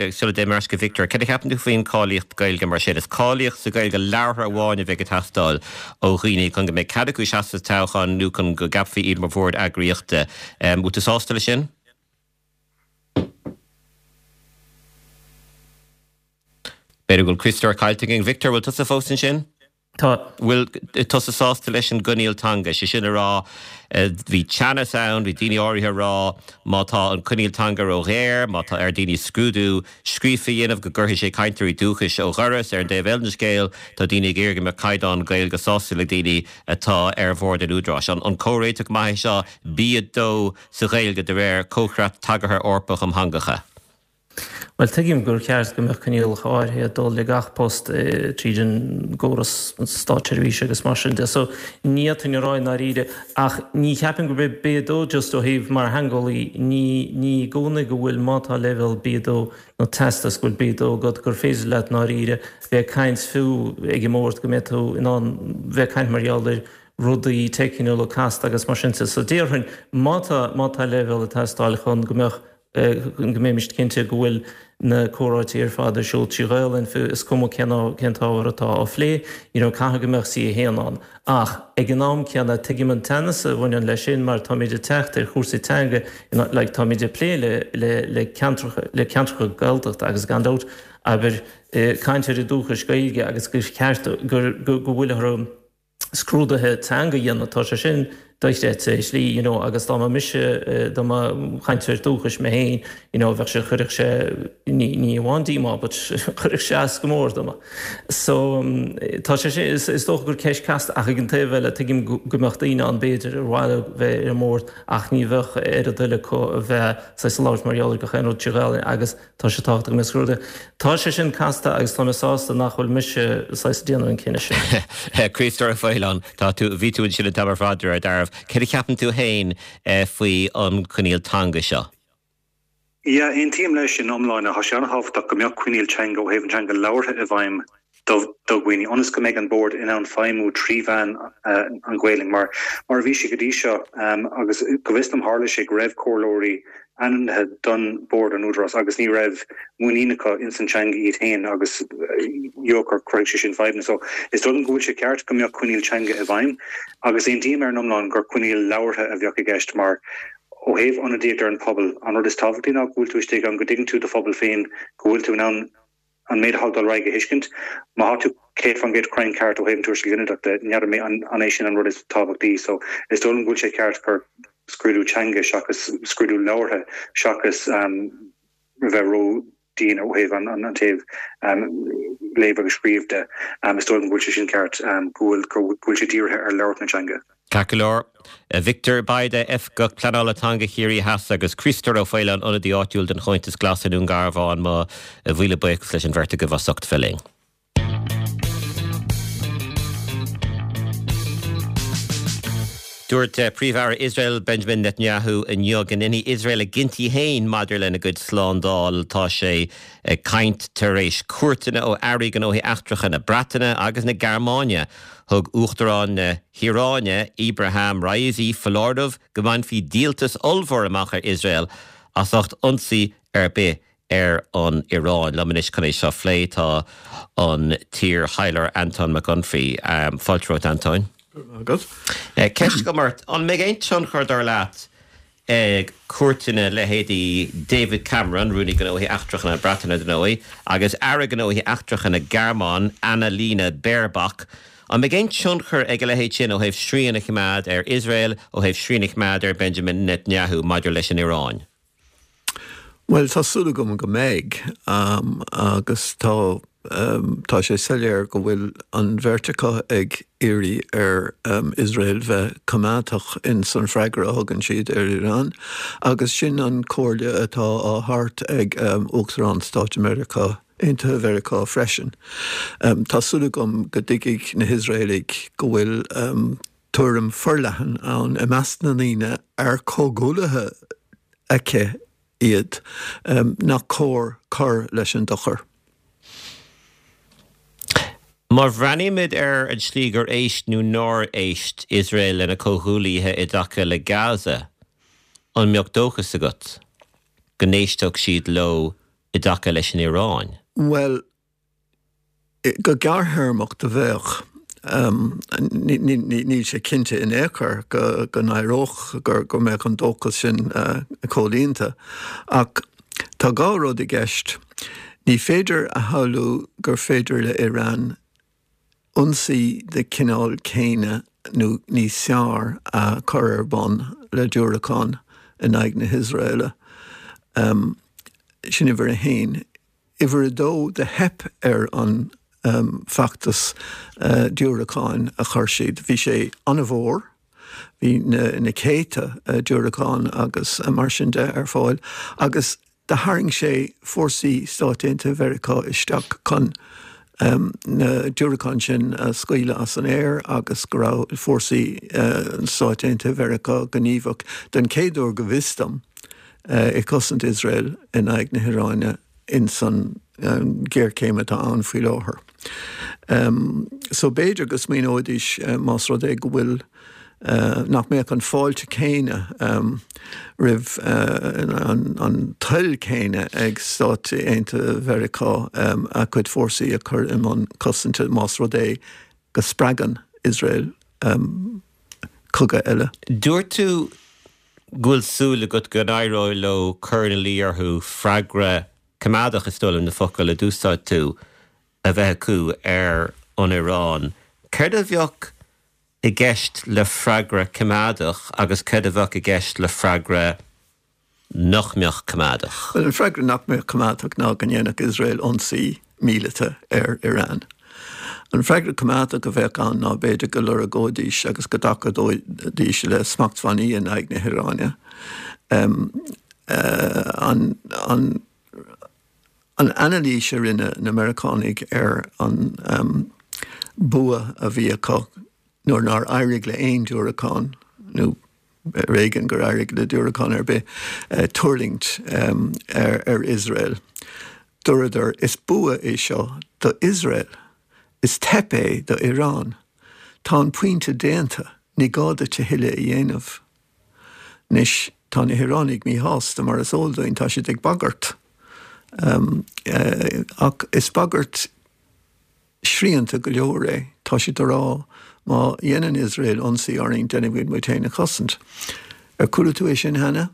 Speaker 1: sula dtéim ar ais go Victor, cad a cheapann tú faoin cáilíocht Gaeilge mar sin? Is cáilíocht sa Ghaeilge labhartha amháin a bheidh ag teastáil ó dhaoine chun go mbeidh cead acu seasamh sa toghchán nó chun go gceapfaí iad mar bhord eagraíochta. Bhfuil tú sásta leis sin? B'fhéidir go bhfuil Criostóir caillte againn. Victor, bhfuil tusa fós ansin?
Speaker 3: Tá.
Speaker 1: Bhfuil tusa sásta leis an gcoinníoll teanga? Sé sin a rá, bhí teannas ann, bhí daoine áirithe a rá má tá an coinníoll teanga ró-ghéar, má tá ar daoine scrúdú scríofa a dhéanamh go gcuirfidh sé cainteoirí dúchais ó dhoras. Ar an dtaobh eile den scéal, tá daoine ag iarraidh go mbeadh caighdeán Gaeilge sásúil ag daoine atá ar bhord an Údaráis. An comhréiteach maith é seo, B2 sa Ghaeilge de réir Comhchreat Tagartha Eorpach um Theangacha?
Speaker 3: Bhuel, tuigim gur cheart go mbeadh coinníollacha áirithe ag dul le gach post tríd an gcóras státseirbhíse agus mar sin de. So, ní fhéadfainn a rá i ndáiríre, ach ní cheapaim gurb é B2 just ó thaobh mar theangeolaí, ní, ní i gcónaí go bhfuil, má tá leibhéal B2 nó teastas go bhfuil B2 agat, gur féidir leat i ndáiríre bheith ag caint fiú ag an mbord, go mbeidh tú in ann bheith ag caint mar gheall ar rudaí teicniúla casta agus mar sin de. So déarfainn, má tá, má tá leibhéal ag teastáil chun go mbeadh go mbeimis cinnte go bhfuil na comhráití ar fad ar siúl trí Ghaelainn, fiú is cuma cén cén t-ábhar atá á phlé, you know, caithfidh go mbeadh C1 ann. Ach ag an am céanna, tuigim an teannas a bhaineann leis sin mar táimid ag teacht ar chúrsaí teanga, you know, like táimid ag plé le le le ceantracha le ceantracha Gaeltachta agus gan dabht, abair, cainteoirí dúchais Gaeilge agus gur cheart gur go go bhfuil orthu scrúduithe teanga a dhéanamh, tá sé sin dochreidte i slí, you know, agus dá mba mise, dá mba chainteoir dúchais mé féin, you know, bheadh sé, chuirfeadh sé, ní, ní amháin díomá, but chuirfeadh sé as go mór dom. So, tá sé sin, is, is dócha gur ceist casta ach ag an taobh eile, tuigim go, go mbeadh daoine ann b'fhéidir ar mhaith leo bheith ar an mbord ach ní bheadh ar a dtoil acu a bheith saghas ag labhairt mar gheall ar gach aon rud trí Ghaelainn agus Tá sé tábhachtach go mbeadh scrúduithe. Tá sé sin casta agus tá mé sásta nach bhfuil mise saghas ag déanamh an cinneadh sin.
Speaker 1: Críostóir Ó Faoláin, tá tú, bhí tú ansin an t-am ar fad de réir dealraimh. Céard a cheapann tú féin faoi an coinníoll teanga seo?
Speaker 4: Yeah, aontaím leis ina iomláine. Tá sé an-tábhachtach go mbeadh coinníoll teanga ó thaobh an teanga labhartha i bhfeidhm do dhaoine ionas go mbeidh an bord in ann feidhmiú trí mheán an Ghaelainn mar mar a bhí sé go dtí seo agus go bhfios dom tharla sé go raibh comhairleoirí ainmnithe don bord an Údarás agus ní raibh muinín acu ins an teanga iad féin agus gur chruthaigh sé sin fadhbanna. So is dóigh liom go bhfuil sé ceart go mbeadh coinníoll teanga i bhfeidhm agus aontaím ar an iomlán gur coinníoll labhartha a bheadh i gceist mar ó thaobh ionadaíocht ar an pobal an rud is tábhachtaí ná go bhfuil tú istigh ann go dtuigeann tú do phobal féin go bhfuil tú in ann an méid atá ag dul ar aghaidh a thuiscint. Má tá tú 100% cruinn ceart ó thaobh an tuairisc ghinideach de, n'fheadar mé an é sin an rud is tábhachtaí. So, is dóigh liom go bhfuil sé ceart gur scrúdú teanga seachas scrúdú labhartha seachas a bheith ró-dhian ó thaobh an taobh léamh agus scríobh de. Is dóigh liom go bhfuil sé sin ceart, go bhfuil go bhfuil sé dírithe ar labhairt na teanga.
Speaker 1: Ceart go leor. Victor Bayda, Oifigeach Pleanála Teanga Chiarraí Theas agus Críostóir Ó Faoláin, Ionadaí Áitiúil don Chomhaontas Glas i nDún Garbhán, mo mhíle buíochas leis an bheirt agaibh as ucht bheith linn. Dúirt Príomh-Aire Iosrael Benjamin Netanyahu inniu go ndéanfaidh Iosrael a gcinntí féin maidir lena gcuid slándáil. Tá sé ag caint tar éis cuairteanna ó airí gnóthaí eachtracha na Breataine agus na Gearmáine. Thug Uachtarán na hIaráine, Ebrahim Raisi, foláireamh go mbainfí díoltas ollmhór amach ar Iosrael as ucht ionsaí ar bith ar an Iaráin. Liom anois chun é seo a phlé tá an t-iar-thaidhleoir Antóin Mac Unfraidh. Fáilte romhat, Antóin.
Speaker 5: Go raibh maith agat.
Speaker 1: Ceist agam ort, an mbeidh aon tionchar, dar leat, ag cuairteanna leithéidí David Cameron, Rúnaí Gnóthaí Eachtracha na Breataine, dar ndóigh, agus Aire Gnóthaí Eachtracha na Gearmáine, Annalena Baerbock. An mbeidh aon tionchar ag a leithéid sin ó thaobh srian a choimeád ar Iosrael, ó thaobh srian a choimeád ar Benjamin Netanyahu maidir leis an Iaráin?
Speaker 5: Bhuel, tá súil agam go mbeidh, agus tá tá sé soiléir go bhfuil an bheirt acu ag iarraidh ar Iosrael bheith coimeádach in san freagra a thugann siad ar Iran, agus sin an comhairle atá á thabhairt ag Uachtarán Stáit Mheiriceá Aontaithe Mheiriceá freisin. Tá súil agam go dtuigfidh na hIosraelaigh go bhfuil tuairim forleathan ann i measc na ndaoine ar comhghuaillithe aici iad nach cóir cur leis an dochar.
Speaker 1: Má bhreathnaímid ar an tslí gur éist nó nár éist Iosrael lena comhghuaillithe i dtaca le Gaza, an mbeadh dóchas agat go n-éistfeadh siad leo i dtaca leis an Iaráin?
Speaker 5: Bhuel, Go gearrthéarmach do bheadh. Níl sé cinnte in aon chor go n-éireodh, go mbeadh an dóchas sin comhlíonta. Ach tá dhá rud i gceist. Ní féidir a shamhlú gur féidir le Iran ionsaí de chineál céanna nó níos fearr a chur ar bun le diúracáin in aghaidh na hIosraeile. Sin uimhir a haon. Uimhir a dó, do theip ar an bhfeachtas diúracáin a chuir siad. Bhí sé an-mhór, bhí na céadta diúracán agus mar sin de ar fáil agus do tharraing sé fórsaí Stáit Aontaithe Mheiriceá isteach chun na diúracáin sin a scaoileadh as an aer agus go raibh fórsaí Stáit Aontaithe Mheiriceá gníomhach den chéad uair go bhfios dom. ag cosaint Iosrael in aghaidh na hIaráine ins an ghéarchéim atá ann faoi láthair. So b'fhéidir go smaoineoidís más rud é go bhfuil nach mbeadh an fáilte céanna roimh an toil céanna ag Stáit Aontaithe Mheiriceá a cuid fórsaí a chur i mbun cosainte más rud é go spreagann Iosrael cogadh eile.
Speaker 1: Dúirt tú go bhfuil súil agat go n-éireoidh leo cur ina luí orthu freagra coimeádach, is dóigh liom na focail a d'úsáid tú, a bheith acu ar an Iaráin. Céard a bheadh i gceist le freagra coimeádach agus céard a bheadh i gceist le freagra nach mbeadh coimeádach?
Speaker 5: Bhuel, an freagra nach mbeadh coimeádach ná go ndéanfadh Iosrael ionsaí míleata ar Iran. An freagra coimeádach a bheadh ann ná b'fhéidir go lorgóidís agus go dtacóidís le smachtbhannaí in aghaidh na hIaráine. An An anailís a rinne na Meiriceánaigh ar an bua a bhí acu nuair nár éirigh le haon diúracán, nó ar éigean gur éirigh le diúracán ar bith, tuirlingt ar Iosrael, dúradar, is bua é seo do Iosrael, is teip é do Iran. Tá an pointe déanta, ní gá duit a thuilleadh a dhéanamh. Anois, tá na hIoránaigh míshásta, mar is eol dúinn, tá siad ag bagairt. Ach is bagairt srianta go leor é. Tá siad ag rá, má dhéanann Iosrael ionsaí orainn, déanfaimid muid féin a chosaint. Ar chuala tú é sin cheana?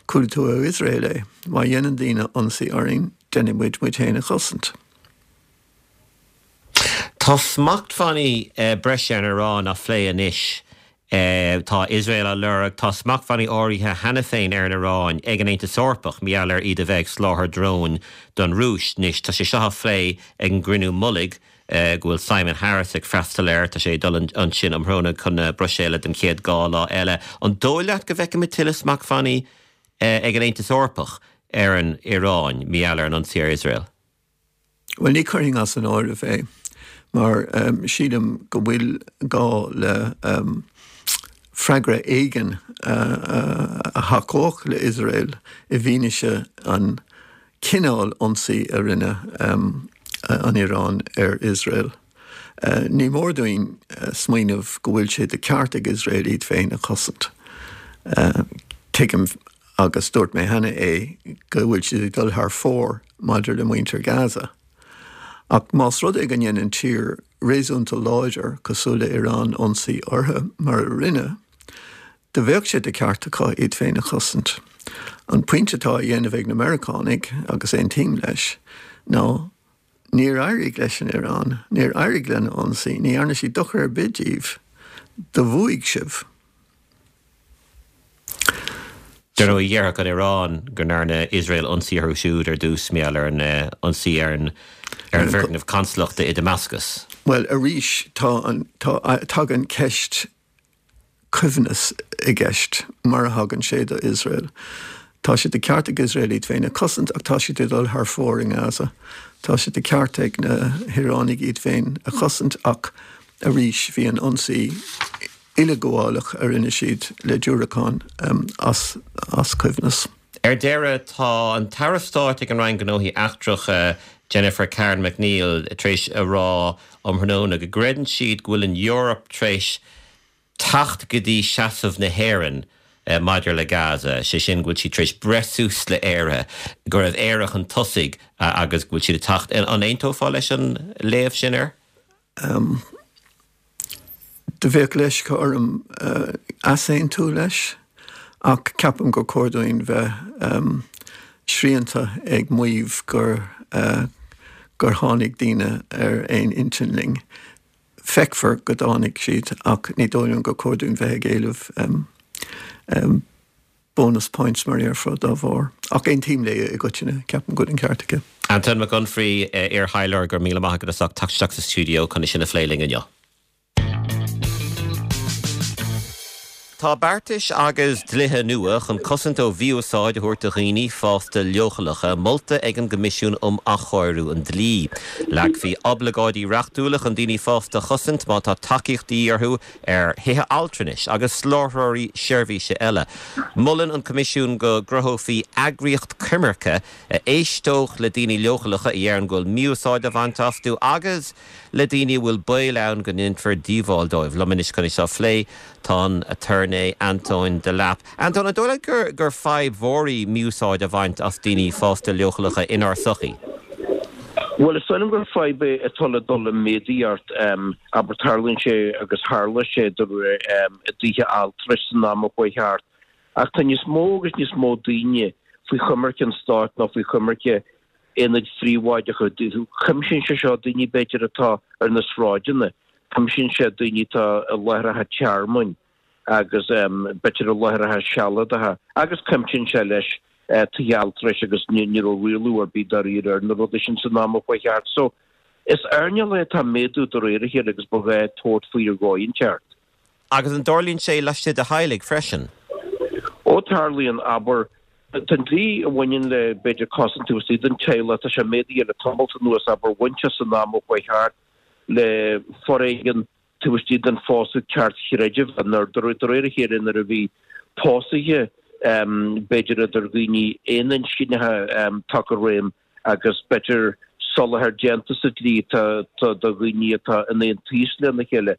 Speaker 5: Chuala tú ó Iosrael é. Má dhéanann daoine ionsaí orainn, déanfaidh muid muid féin a chosaint.
Speaker 1: Tá smachtbhannaí breise ar an Iaráin á phlé anois. Tá Iosrael á lorg. Tá smachtbhannaí áirithe cheana féin ar an Iaráin ag an Aontas Eorpach mar gheall ar iad a bheith ag soláthar dróin don Rúis. Anois tá sé seo á phlé ag an gcruinniú mullaigh go bhfuil Simon Harris ag freastal air. Tá sé ag dul ansin um thráthnóna chun na Bruiséile don chéad dhá lá eile. An dóigh leat go bhfeicfimid tuilleadh smachtbhannaí ag an Aontas Eorpach ar an Iaráin mar gheall ar an ionsaí ar Iosrael?
Speaker 5: Bhuel, ní chuirfinn as an áireamh é, mar sílim go bhfuil gá le freagra éigin a thacódh le Iosrael i bhfianaise an chineál ionsaí a rinne an Iaráin ar Iosrael. Ní mór dúinn smaoineamh go bhfuil sé de cheart ag Iosrael iad féin a chosaint. Tuigim agus dúirt mé cheana é, go bhfuil siad ag dul thar fóir maidir le muintir Gaza. Ach más rud é go ndéanann tír réasúnta láidir cosúil le Iran ionsaí orthu, mar a rinne, Do bheadh sé de cheart acu iad féin a chosaint. An pointe atá á dhéanamh ag na Meiriceánaigh, agus aontaím leis, ná níor éirigh leis an Iaráin, níor éirigh lena ionsaí, ní dhearna siad dochar ar bith díbh, do bhuaigh sibh.
Speaker 1: Dar ndóigh, dhéarfadh an Iaráin go ndearna Iosrael ionsaí orthu siúd ar dtús, mar gheall ar an ionsaí ar an bhfoirgneamh consalachta i Damascus.
Speaker 5: Bhuel, arís, tá an, tá, tagann ceist coibhneas i gceist, mar a thagann sé do Iosrael. Tá sé de cheart ag Iosrael iad féin a chosaint ach tá siad ag dul thar fóir i nGaza. Tá sé de cheart ag na hIoránaigh iad féin a chosaint ach arís bhí an ionsaí uileghabhálach a rinne siad le diúracáin as as coibhneas.
Speaker 1: Ar deireadh, tá an tAire Stáit ag an Roinn Gnóthaí Eachtracha, Jennifer Karen McNeill, tar éis a rá um thráthnóna go gcreideann siad go bhfuil an Eoraip tar éis teacht go dtí seasamh na hÉireann maidir le Gaza, sé sin go bhfuil siad tar éis breith suas le Éire, go raibh Éire chun tosaigh agus go bhfuil siad ag teacht. An aontófá leis an léamh sin air?
Speaker 5: Do bheadh leisce orm easaontú leis, ach ceapaim gur chóir dúinn bheith srianta ag maíomh gur gur tháinig daoine ar aon intinn linn. Feicfear go dtáinig siad, ach ní dóigh liom gur chóir dúinn bheith ag éileamh bonus points mar a déarfá dá bharr. Ach aontaím léi i gcoitinne, ceapaim go bhfuil an ceart aici.
Speaker 1: Antóin Mac Unfraidh, iar-thaidhleoir, go raibh míle maith agat as ucht teacht isteach sa stiúideo chun é sin a phlé linn inniu. Tá beartais agus dlíthe nua chun cosaint ó mhí-úsáid a thabhairt do dhaoine fásta leochaileacha molta ag an gCoimisiún um Athchóiriú an Dlí. Leagfaí oibleagáidí reachtúla chun daoine fásta a chosaint má tá tacaíocht de dhíth orthu ar thithe altranais agus soláthróirí seirbhíse eile. Molann an Coimisiún go gcruthófaí eagraíocht coimirce a éisteodh le daoine leochaileacha a deireann go bhfuil mí-úsáid á bhaint astu agus le daoine a bhfuil baol ann go ndéanfar díobháil dóibh. Liom anois chun é seo a phlé tá an aturnae Antóin Delap. Antóin, an dóigh leat gur gur fadhb mhór í mí-úsáid a bhaint as daoine fásta leochaileacha inár sochaí?
Speaker 6: Bhuel, is dóigh liom gur fadhb é atá le dul i méadaíocht. Abair, tarlaíonn sé agus tharla sé i dtithe altrais san am a chuaigh thart. Ach tá níos mó agus níos mó daoine faoi choimirce an stáit nó faoi choimirce aonaid phríobháideacha. Cuimsíonn sé seo daoine, b'fhéidir, atá ar na sráideanna, cuimsíonn sé daoine atá i láithreacha tearmainn agus b'fhéidir i láithreacha sealadacha agus cuimsíonn sé leis tithe altrais agus ní raibh rialú ar bith dáiríre ar na rudaí sin san am a chuaigh thart. So, is earnáil é atá ag méadú de réir a chéile agus ba ghá tabhairt faoi ar dhóigh inteacht.
Speaker 1: Agus an dtarlaíonn sé laistigh de theaghlaigh freisin?
Speaker 6: Ó tarlaíonn, abair, tá an dlí a bhaineann le, b'fhéidir, cosaint taobh istigh den teaghlach, tá sé méadaithe le tamalt anuas, abair, bhain sé san am a chuaigh thart le foréigean taobh istigh den phósadh ceartchreidmheach, nuair, de réir a chéile, nuair a bhí pósaithe, b'fhéidir, idir dhaoine aoninscneacha tagtha i réim agus, b'fhéidir, soláthar déanta sa dlí do dhaoine atá in aontíos lena chéile,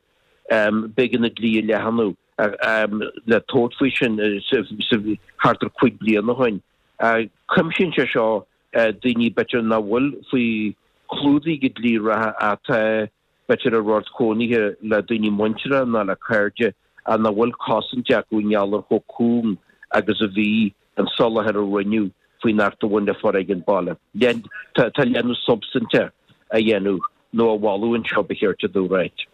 Speaker 6: b'éigean an dlí a leathnú le tabhairt faoi sin thart ar chúig bliana ó shin. Cuimsíonn sé seo daoine, b'fhéidir, nach bhfuil faoi chlúdach ag an dlí reatha atá, b'fhéidir, i rord cónaithe le daoine muinteartha nó le cairde ach nach bhfuil cosaint acu i ngeall ar chomh cúng agus a bhí an soláthar a rinneadh faoin Acht a bhain le Foréigean Baile. Tá leathnú substainte á dhéanamh nó á mholadh anseo, ba cheart domh a ráit.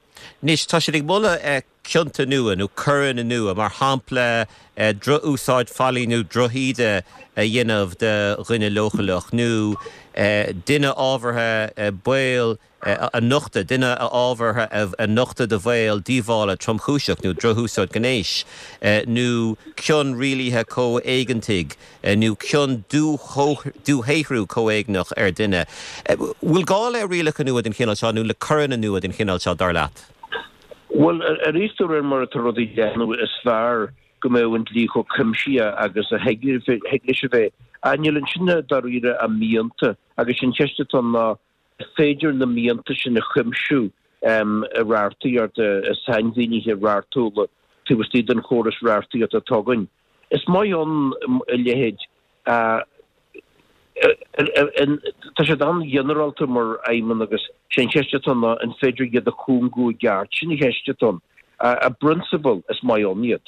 Speaker 1: Anois, tá siad ag moladh cionta nua nó coireanna nua, mar shampla droch-úsáid faillí nó drochíde a dhéanamh de dhuine leochaileach nó duine ábhartha baol a nochtadh, duine ábhartha a nochtadh do bhaol díobhála tromchúiseach nó drochúsáid ghnéis, nó cion rialaithe comhéigeantaigh nó cion dúshaothrú comhéigneach ar dhuine. Bhfuil gá le rialacha nua den chineál seo nó le coireanna nua den chineál seo, dar leat?
Speaker 6: Bhuel, arís, de réir mar atá rudaí ag leathnú, is fearr go mbeadh an dlí chomh cuimsitheach agus a thig leis a bheith. Ach níl ansin dáiríre ach mianta, agus an cheist atá ann ná, Is féidir na mianta sin a chuimsiú i reachtaíocht, i sainmhínithe reachtúla taobh istigh den chóras reachtaíochta atá againn. Is maith ann a leithéid. Tá siad an-ghinearálta mar aidhmeanna agus sé an cheist atá ann ná an féidir iad a chúngú i gceart. Sin an cheist atá ann. I bprionsabal, is maith ann iad.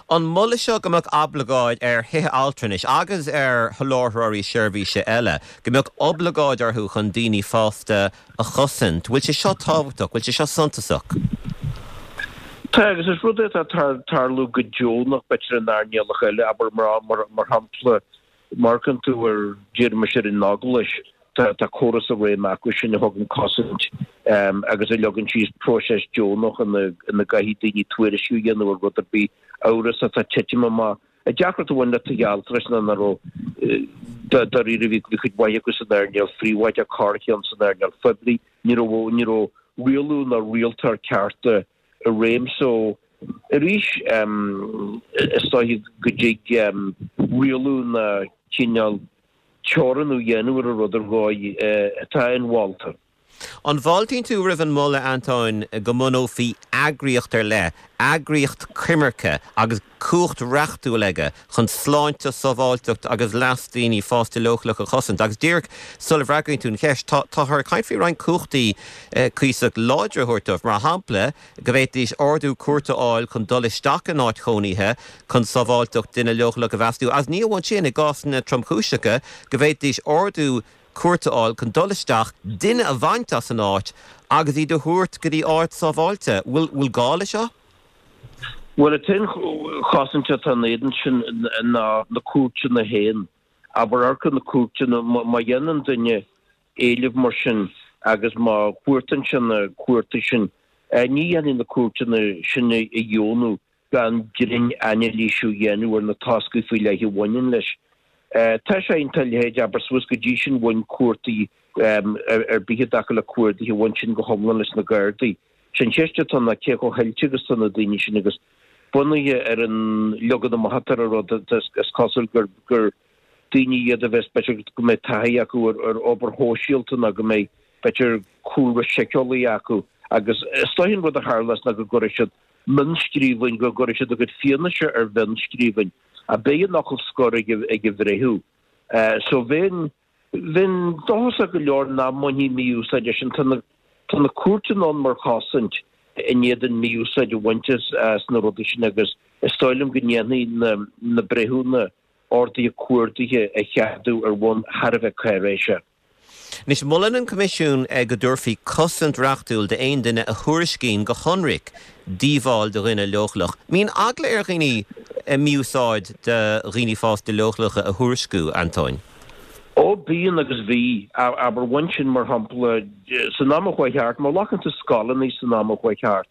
Speaker 1: An moladh seo go mbeadh oibleagáid ar thithe altranais agus ar sholáthróirí seirbhíse eile, go mbeadh oibleagáid orthu chun daoine fásta a chosaint, bhfuil sé seo tábhachtach, bhfuil sé seo suntasach?
Speaker 6: Tá, agus is rud é atá ag tarlú go deonach, b'fhéidir in earnálacha eile, abair mar shampla, Má amharcann tú ar, déarfaimis ar an Eaglais, tá córas i réim acu sin a thugann cosaint agus a leagann síos próiseas deonach ina gcaithfidh daoine tuairisciú a dhéanamh ar rud ar bith amhrasach atá ag titim amach. An deacracht a bhain le tithe altranais ná nach raibh, dáiríre, bhí cuid mhaith acu san earnáil phríobháideach, corrcheann san earnáil phoiblí, ní raibh, ní raibh rialú ná rialtóir ceart i réim so arís is dóiche go dtig rialú ná cineál teorannú a dhéanamh ar an rud ar dhóigh atá inmholta.
Speaker 1: An bhfáiltíonn tú roimh an moladh, Antóin, go mbunófaí eagraíocht ar leith, eagraíocht coimirce agus cumhacht reachtúil aige chun sláinte, sábháilteacht agus leas daoine fásta leochaileacha a chosaint? Agus díreach sula bhfreagraíonn tú an cheist, tá, táthar ag caint faoi roinnt cumhachtaí cuíosach láidre a thabhairt dóibh, mar shampla, go bhféadfaidís ordú cúirte a fháil chun dul isteach in áit chónaithe chun sábháilteacht duine leochaileach a mheasúnú, agus ní amháin sin, i gcásanna tromchúiseacha, go bhféadfaidís ordú cúirte a fháil chun dul isteach, duine a bhaint as an áit agus iad a thabhairt go dtí áit sábháilte. Bhfuil gá le seo?
Speaker 6: Bhuel, an t-aon chosaint atá in éadan sin ná na cúirteanna féin. Abair, amharc ar na cúirteanna, má dhéanann duine éileamh mar sin agus má chuartaíonn sé na cúirteanna sin, ní dhéanfaidh na cúirteanna sin a dheonú gan grinn-anailísiú a dhéanamh ar na toscaí faoi leith a bhaineann leis. Tá sé iontach a leithéid, abair, suas go dtí sin bhain cuardaigh ar bith i dtaca le cuardaithe, bhain sin go hiomlán leis na Gardaí. Sé an cheist atá ná cé chomh hoilte agus atá na daoine sin agus bunaithe ar an leagan amach atá ar an rud, is cosúil gur daoine iad a bheas, b'fhéidir go mbeidh taithí acu ar obair shóisialta nó go mbeidh, b'fhéidir, cúlra síceolaí acu agus is dóiche an rud a tharlós ná go gcuirfidh siad mionnscríbhinn, go gcuirfidh siad a gcuid fianaise ar mhionnscríbhinn ach beidh an focal scoir ag an bhreitheamh. So bheinn, bheinn dóchasach go leor nach mbainfí mí-úsáid as sin. Tá na, tá na cúirteanna ann mar chosaint in éadan mí-úsáid a bhaint as na rudaí sin agus is dóigh liom go ndéanfaidh na, na breithiúna orduithe cuardaithe a cheadú ar bhonn thar a bheith cáiréiseach.
Speaker 1: Anois, molann an Coimisiún go dtabharfaí cosaint reachtúil d'aon duine a thuairiscíonn go hionraic díobháil do dhuine leochaileach. Mbíonn eagla ar dhaoine mí-úsáid do dhaoine fásta leochaileacha a thuairisciú, Antóin?
Speaker 6: Ó, bíonn agus bhí. Abair, bhain sin, mar shampla, san am a chuaigh thart, má ghlacann tú scoileanna san am a chuaigh thart,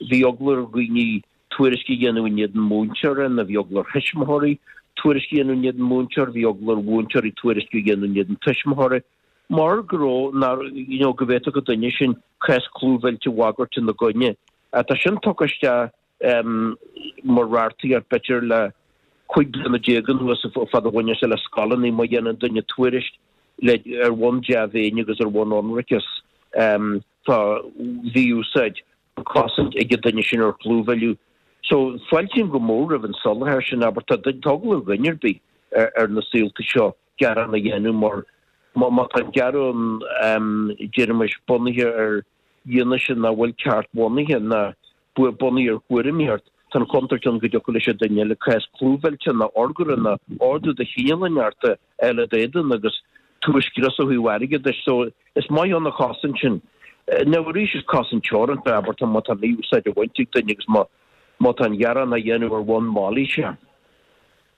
Speaker 6: Bhí eagla ar dhaoine tuairisc a dhéanamh in éadan múinteora nó bhí eagla ar thuismitheoirí tuairisc a dhéanamh in éadan múinteoir, bhí eagla ar mhúinteoirí tuairisc a dhéanamh in éadan tuismitheoirí mar go raibh, nár, you know, go bhféadfadh an duine sin cás clúmhillte a bhagairt ina gcoinne. Tá sin tugtha isteach mar reachtaíocht b'fhéidir le 15 bliana anuas fad a bhaineann sé le scoileanna má dhéanann duine tuairisc le, ar bhonn dea-mhéine agus ar bhonn ionraiceas. Tá mhí-úsáid, cosaint ag an duine sin ar chlúmhilleadh. So, fáiltím go mór roimh an soláthar sin, abair, tá eagla ar dhuine ar bith ar na saolta seo gearán a dhéanamh mar má tá an gearán, déarfaimis, bunaithe ar fhianaise nach bhfuil ceart-bhunaithe ná bunaithe ar thuairimíocht, tá an chontúirt ann go dtiocfadh leis an duine eile cás clúmhillte nó urghaire nó ordú de chineál inteacht a fháil i d'éadan agus tú a scriosadh ó thaobh airgeadais. So, is maith ann an chosaint sin. Now arís is cosaint teoranta, abair, tá má tá mí-úsáid á bhaint ag duine agus má má tá an ghearán á dhéanamh ar bhonn mailíse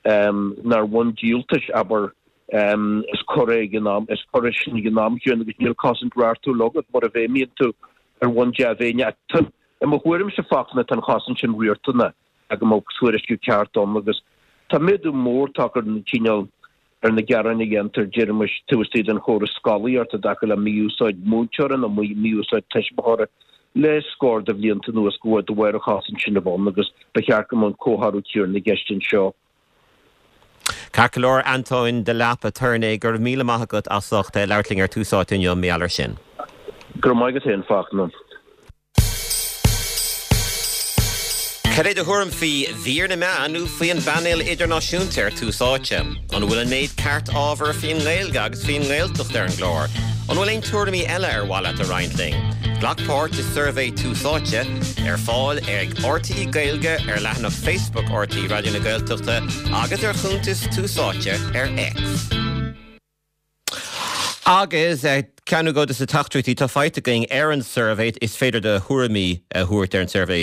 Speaker 6: nó ar bhonn díoltais, abair, is coir é ag an am, is coir é sin ag an am chéanna agus níl cosaint reachtúil agat mura bhfeidhmíonn tú ar bhonn dea-mhéine. Ach i mo thuairimse, Fachtna, tá an chosaint sin riachtanach go mbeadh tuairisciú ceart ann agus tá méadú mór tagtha ar an chineál ar na gearáin a dhéantar, déarfaimis, taobh istigh den chóras scolaíochta i dtaca le mí-úsáid múinteora nó mí-úsáid tuismitheora le scór de bhlianta anuas go bhfuil de bharr an chosaint sin a bheith ann agus ba cheart go mbeadh an comhthoradh céanna i gceist anseo.
Speaker 1: Ceart go leor, Antóin de Leap, aturnae, go raibh míle maith agat as ucht labhairt linn ar Tús Áite inniu, mar gheall air sin.
Speaker 6: Go raibh maith agat féin, Fachtna.
Speaker 1: Cad é do thuairim faoi mhír na meán nó faoi an bpainéal idirnáisiúnta ar Tús Áite? An bhfuil an méid ceart ábhair faoin nGaeilge agus faoin nGaeltacht ar an gclár? An bhfuil aon tuairimí eile ar mhaith leat a roinnt linn? Glac páirt i suirbhé Tús Áite, ar fáil ag RTÉ Gaeilge ar leathanach Facebook RTÉ Raidió na Gaeltachta agus ar chuntas Tús Áite ar X. Agus ceann nó dhó de na teachtaireachtaí atá faighte againn ar an suirbhé, is féidir do thuairimí a thabhairt ar an suirbhé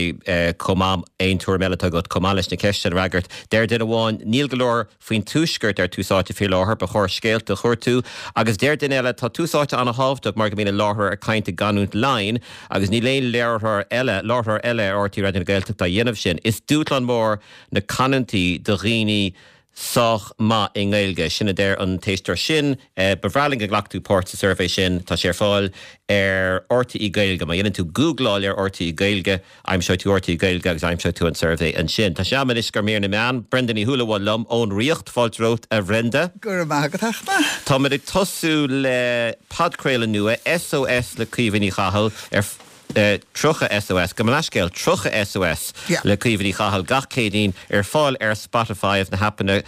Speaker 1: chomh maith, aon tuairim eile atá agat chomh maith leis na ceisteanna a fhreagairt. Deir duine amháin, níl go leor faoin Tuaisceart ar Tús Áite faoi láthair, ba chóir scéalta a chuartú. Agus deir duine eile, tá Tús Áite an-thábhachtach mar go mbíonn an láithreoir ag caint i gcanúint Laighean agus níl aon láithreoir eile, láithreoir eile ar RTÉ Raidió na Gaeltachta á dhéanamh sin. Is dúshlán mór na canúintí do dhaoine sách maith i nGaeilge. Sin a deir an t-éisteoir sin. Ba bhreá linn go nglacfadh tú páirt sa suirbhé sin. Tá sé ar fáil ar RTÉ Gaeilge. Má dhéanann tú gúgláil ar RTÉ Gaeilge, aimseoidh tú RTÉ Gaeilge agus aimseoidh tú an suirbhé ansin. Tá sé am anois do mhír na meán. Brenda Ní Shúilleabháin liom ón Ríocht. Fáilte romhat, a Bhrenda.
Speaker 7: Go raibh maith agat, a Fhachtna.
Speaker 1: Táimid ag tosú le podchraoladh nua, SOS le Caoimhe Ní Chathail, ar. 30 SOS, gabh mo leithscéal, 30 SOS le Caoimhe Ní Chathail gach Céadaoin ar fáil ar Spotify agus na haipeanna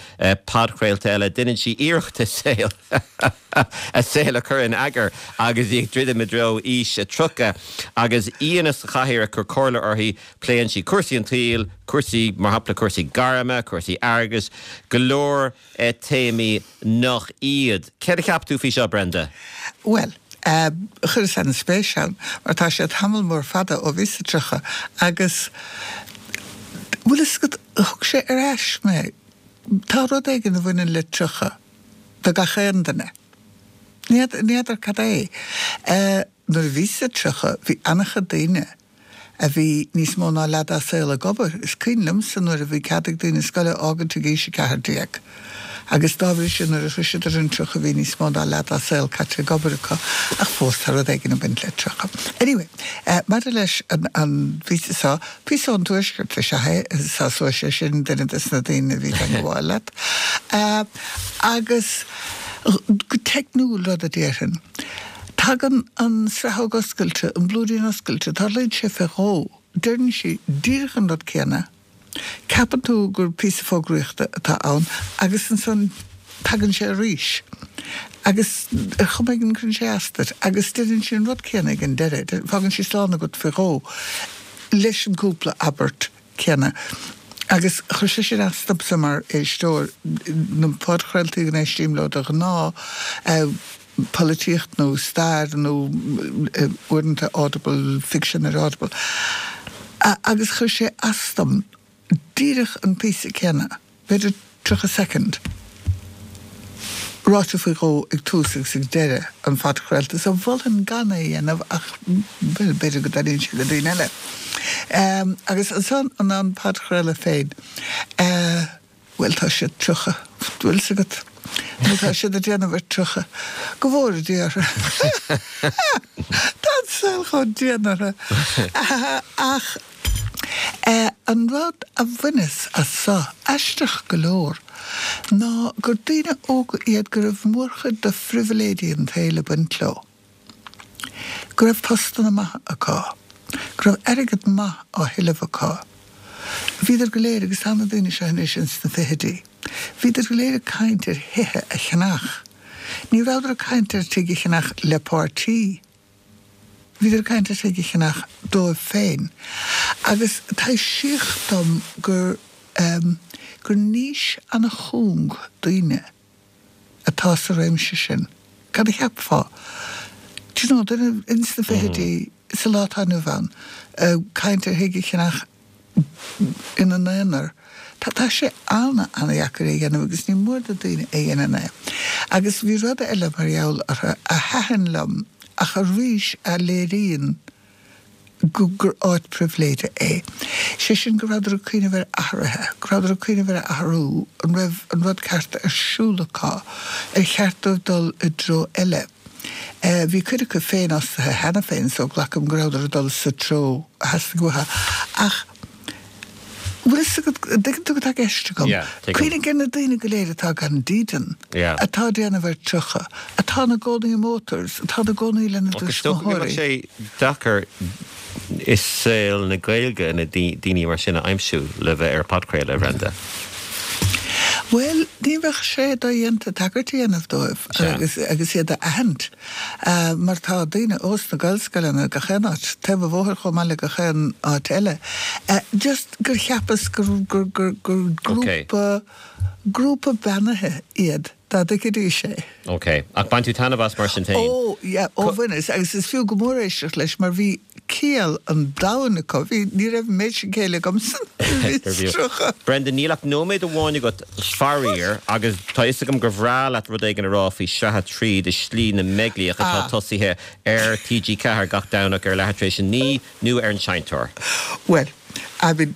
Speaker 1: podchraolta eile. Déanann sí iarracht a saol a saol a chur in eagar agus í ag druidim i dtreo aois a 30. Agus aíonna sa chathaoir ag cur comhairle uirthi, pléann sí cúrsaí an tsaoil, cúrsaí, mar shampla, cúrsaí gairme, cúrsaí airgeadais, go leor téamaí nach iad. Céard a cheap tú faoi seo, Brenda?
Speaker 7: Bhuel, chuireas an-spéis ann, mar tá sé tamall mór fada ó bhíos sa 30 agus, bhfuil fhios agat, thug sé ar ais mé. Tá rud éigin a bhaineann le 30 do gach aon duine. Ní fheadar cad é. Nuair a bhíos sa 30, bhí an-chuid daoine a bhí níos mó ná leath dá saol ag obair. Is cuimhin liomsa nuair a bhí cead ag daoine scoil a fhágaint ag aois 14 agus dá bhrí sin nuair a shroiseadar an 30 bhí níos mó ná leath dá saol caite ag obair acu ach fós tá rud éigin ag baint le 30. Anyway, maidir leis an bpíosa seo, píosa ón Tuaisceart is ea é, sásóidh sé sin duine des na daoine a bhí ag gabháil leat. Agus go teicniúil rud a déarfainn, Tagann an sraitheog oscailte, an blúirín oscailte, tarlaíonn sé fé dhó, deireann sí díreach an rud céanna, ceapann tú gur píosa fógraíochta atá ann agus ansan tagann sé arís agus ar chuma éigin cuireann sé as duit agus deireann sí an rud céanna ag an deireadh, fágann sí slán agat fé dhó leis an gcúpla abairt céanna. Agus chuir sé sin as domsa mar éisteoir. Na podchraoltaí go n-éistím leo de ghnáth, polaitíocht nó stair nó uaireanta Audible, fiction ar Audible. Agus chuir sé as dom díreach an píosa céanna, b'fhéidir 30 soicind, ráite faoi dhó ag tús agus ag deireadh an phodchraolta. So mholfainn gan é a dhéanamh ach, bhuel, b'fhéidir go dtaitníonn sé le daoine eile. Agus ansan an an podchraoladh féin, bhuel, tá siad 30, bhfuil 's agat, nó tá siad ag déanamh ar 30. Go bhfóire Dia orthu. Tá an saol chomh dian orthu. Ach. An rud a bhaineas as so, aisteach go leor, ná gur daoine óga iad go raibh mórchuid de phribhléidí an tsaoil ag baint leo, go raibh postanna maithe acu, go raibh airgead maith á thuilleamh acu. Bhíodar go léir, agus tá na daoine seo anois ins na fichidí, bhíodar go léir ag caint ar thithe a cheannach. Ní rabhadar ag caint ar tigh a cheannach le páirtí. Bhíodar ag caint ar thigh a cheannach dóibh féin agus taibhsíodh dom gur gur niche ana-chúng daoine atá sa réimse sin. Cad a cheapfá? Do you know, duine ins na fichidí sa lá atá inniu ann ag caint ar thigh a cheannach ina n-aonar. Tá sé ana-ana-dheacair é a dhéanamh agus ní mór do daoine a dhéanann é. Agus bhí rud eile mar gheall orthu a thaitin liom ach arís a léiríonn go gur áit pribhléide é. Sé sin go rabhadar ag cuimhneamh ar athruithe, go rabhadar ag cuimhneamh ar athrú, an raibh an rud ceart ar siúl acu, ar cheart dóibh dul i dtreo eile. Bhí cuid acu féinfhostaithe cheana féin so glacaim go rabhadar ag dul sa treo a theastaigh uathu. Ach bhfuil fhios agat, an dtuigeann tú cad tá i gceist agam?
Speaker 1: Yeah, tuigim.
Speaker 7: Cuimhnigh ar na daoine go léir atá gan dídean,
Speaker 1: Yeah.
Speaker 7: atá ag déanamh ar 30, atá ina gcónaí i motels, atá ina gcónaí lena
Speaker 1: Ach is dócha go mbeadh
Speaker 7: dtuismitheoirí.
Speaker 1: sé deacair i saol na Gaeilge na daoine mar sin a aimsiú le bheith ar podchraoladh, a Bhrenda.
Speaker 7: Bhuel, ní bheadh sé dodhéanta tagairt a dhéanamh dóibh agus agus iad a aithint, mar tá daoine ós na Gaelscoileanna gach aon áit, taobh an bhóthair chomh maith le gach aon áit eile. Just gur cheapas gur gur gur gur grúpa grúpa beannaithe iad, dá dtuigfidís é.
Speaker 1: Ok. Ach bhain tú taitneamh as mar sin féin?
Speaker 7: Ó, yeah, ó bhaineas, agus is fiú go mór éisteacht leis mar bhí ciall an domhain acu. Bhí, ní raibh an méid sin céille agamsa nuair a bhíos
Speaker 1: 30. Brenda, níl ach nóiméad amháin agat, faraor, agus tá fhios agam gur bhreá leat rud éigin a rá faoi Sraith 3 de Shlí na mBeaglaíoch atá tosaithe ar TG4 gach Domhnach ar leathuair tar éis a 9 nó ar an Seinnteoir.
Speaker 7: Bhuel, I mean,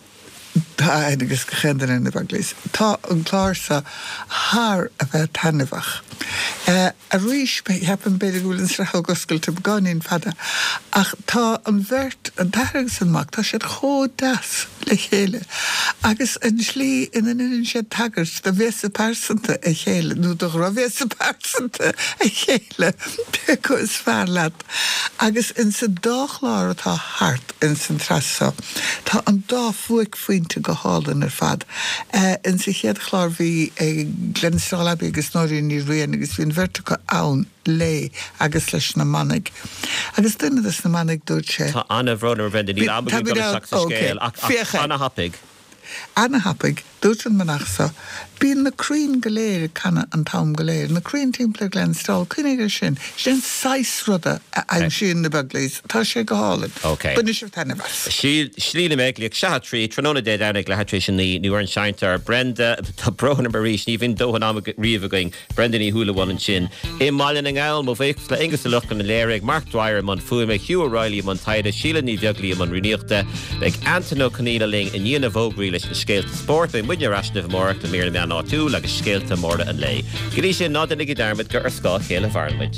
Speaker 7: tá aithne ag gach aon duine ar na Beaglaoich. Tá an clár seo thar a bheith taitneamhach. Arís, cheapfainn b'fhéidir go bhfuil an sraitheog oscailte beagáinín fada, ach tá an bheirt, an t-athair agus an mac, tá siad chomh deas le chéile agus an tslí ina ndeineann siad tagairt do bhéasa pearsanta a chéile, nó do dhrochbhéasa pearsanta a chéile, pé acu is fearr leat. Agus insa dá chlár atá thart insan tsraith seo, tá an dá bhuaicphointe go hálainn ar fad. Insa chéad chlár bhí Glenstal Abbey agus Nóirín Ní Riain agus bhí an bheirt acu ann léi agus leis na manaigh. Agus duine des na manaigh dúirt sé.
Speaker 1: Tá an-bhrón orm a Bhrenda, níl am againn dul isteach sa scéal ach ana-thapaidh.
Speaker 7: Ana-thapaidh, dúirt an manach so, bíonn na crainn go léir ag canadh an t-am go léir, na crainn timpeall ar Glenstal, cuimhnigh air sin, sin an saghas ruda a aimsíonn na Beaglaoich, tá sé go hálainn.
Speaker 1: Ok.
Speaker 7: Bainfidh sibh taitneamh as.
Speaker 1: Slí na mBeaglaíoch, Sraith 3, tráthnóna Dé Domhnaigh, leathuair tar éis a 9, nó ar an Seinnteoir. Brenda, tá brón orm arís, ní bhíonn dóthain ama riamh againn. Brenda Ní Shúilleabháin ansin i mBaile na nGall. Mo bhuíochas le Aonghus Ó Lochlainn a léirigh, Mark Dwyer i mbun fuaime, Hugh O'Reilly i mbun taighde, Síle Ní Bheaglaoí i mbun rúnaíochta. Beidh Antain Ó Conaola linn i ndiaidh na bhfógraí leis na scéalta spóirt. Beidh muidne ar ais libh amárach le mír na meán áitiúil agus scéalta móra an lae. Go dtí sin, ná déanaigí dearmad gur ar scáth a chéile a mhaireann muid.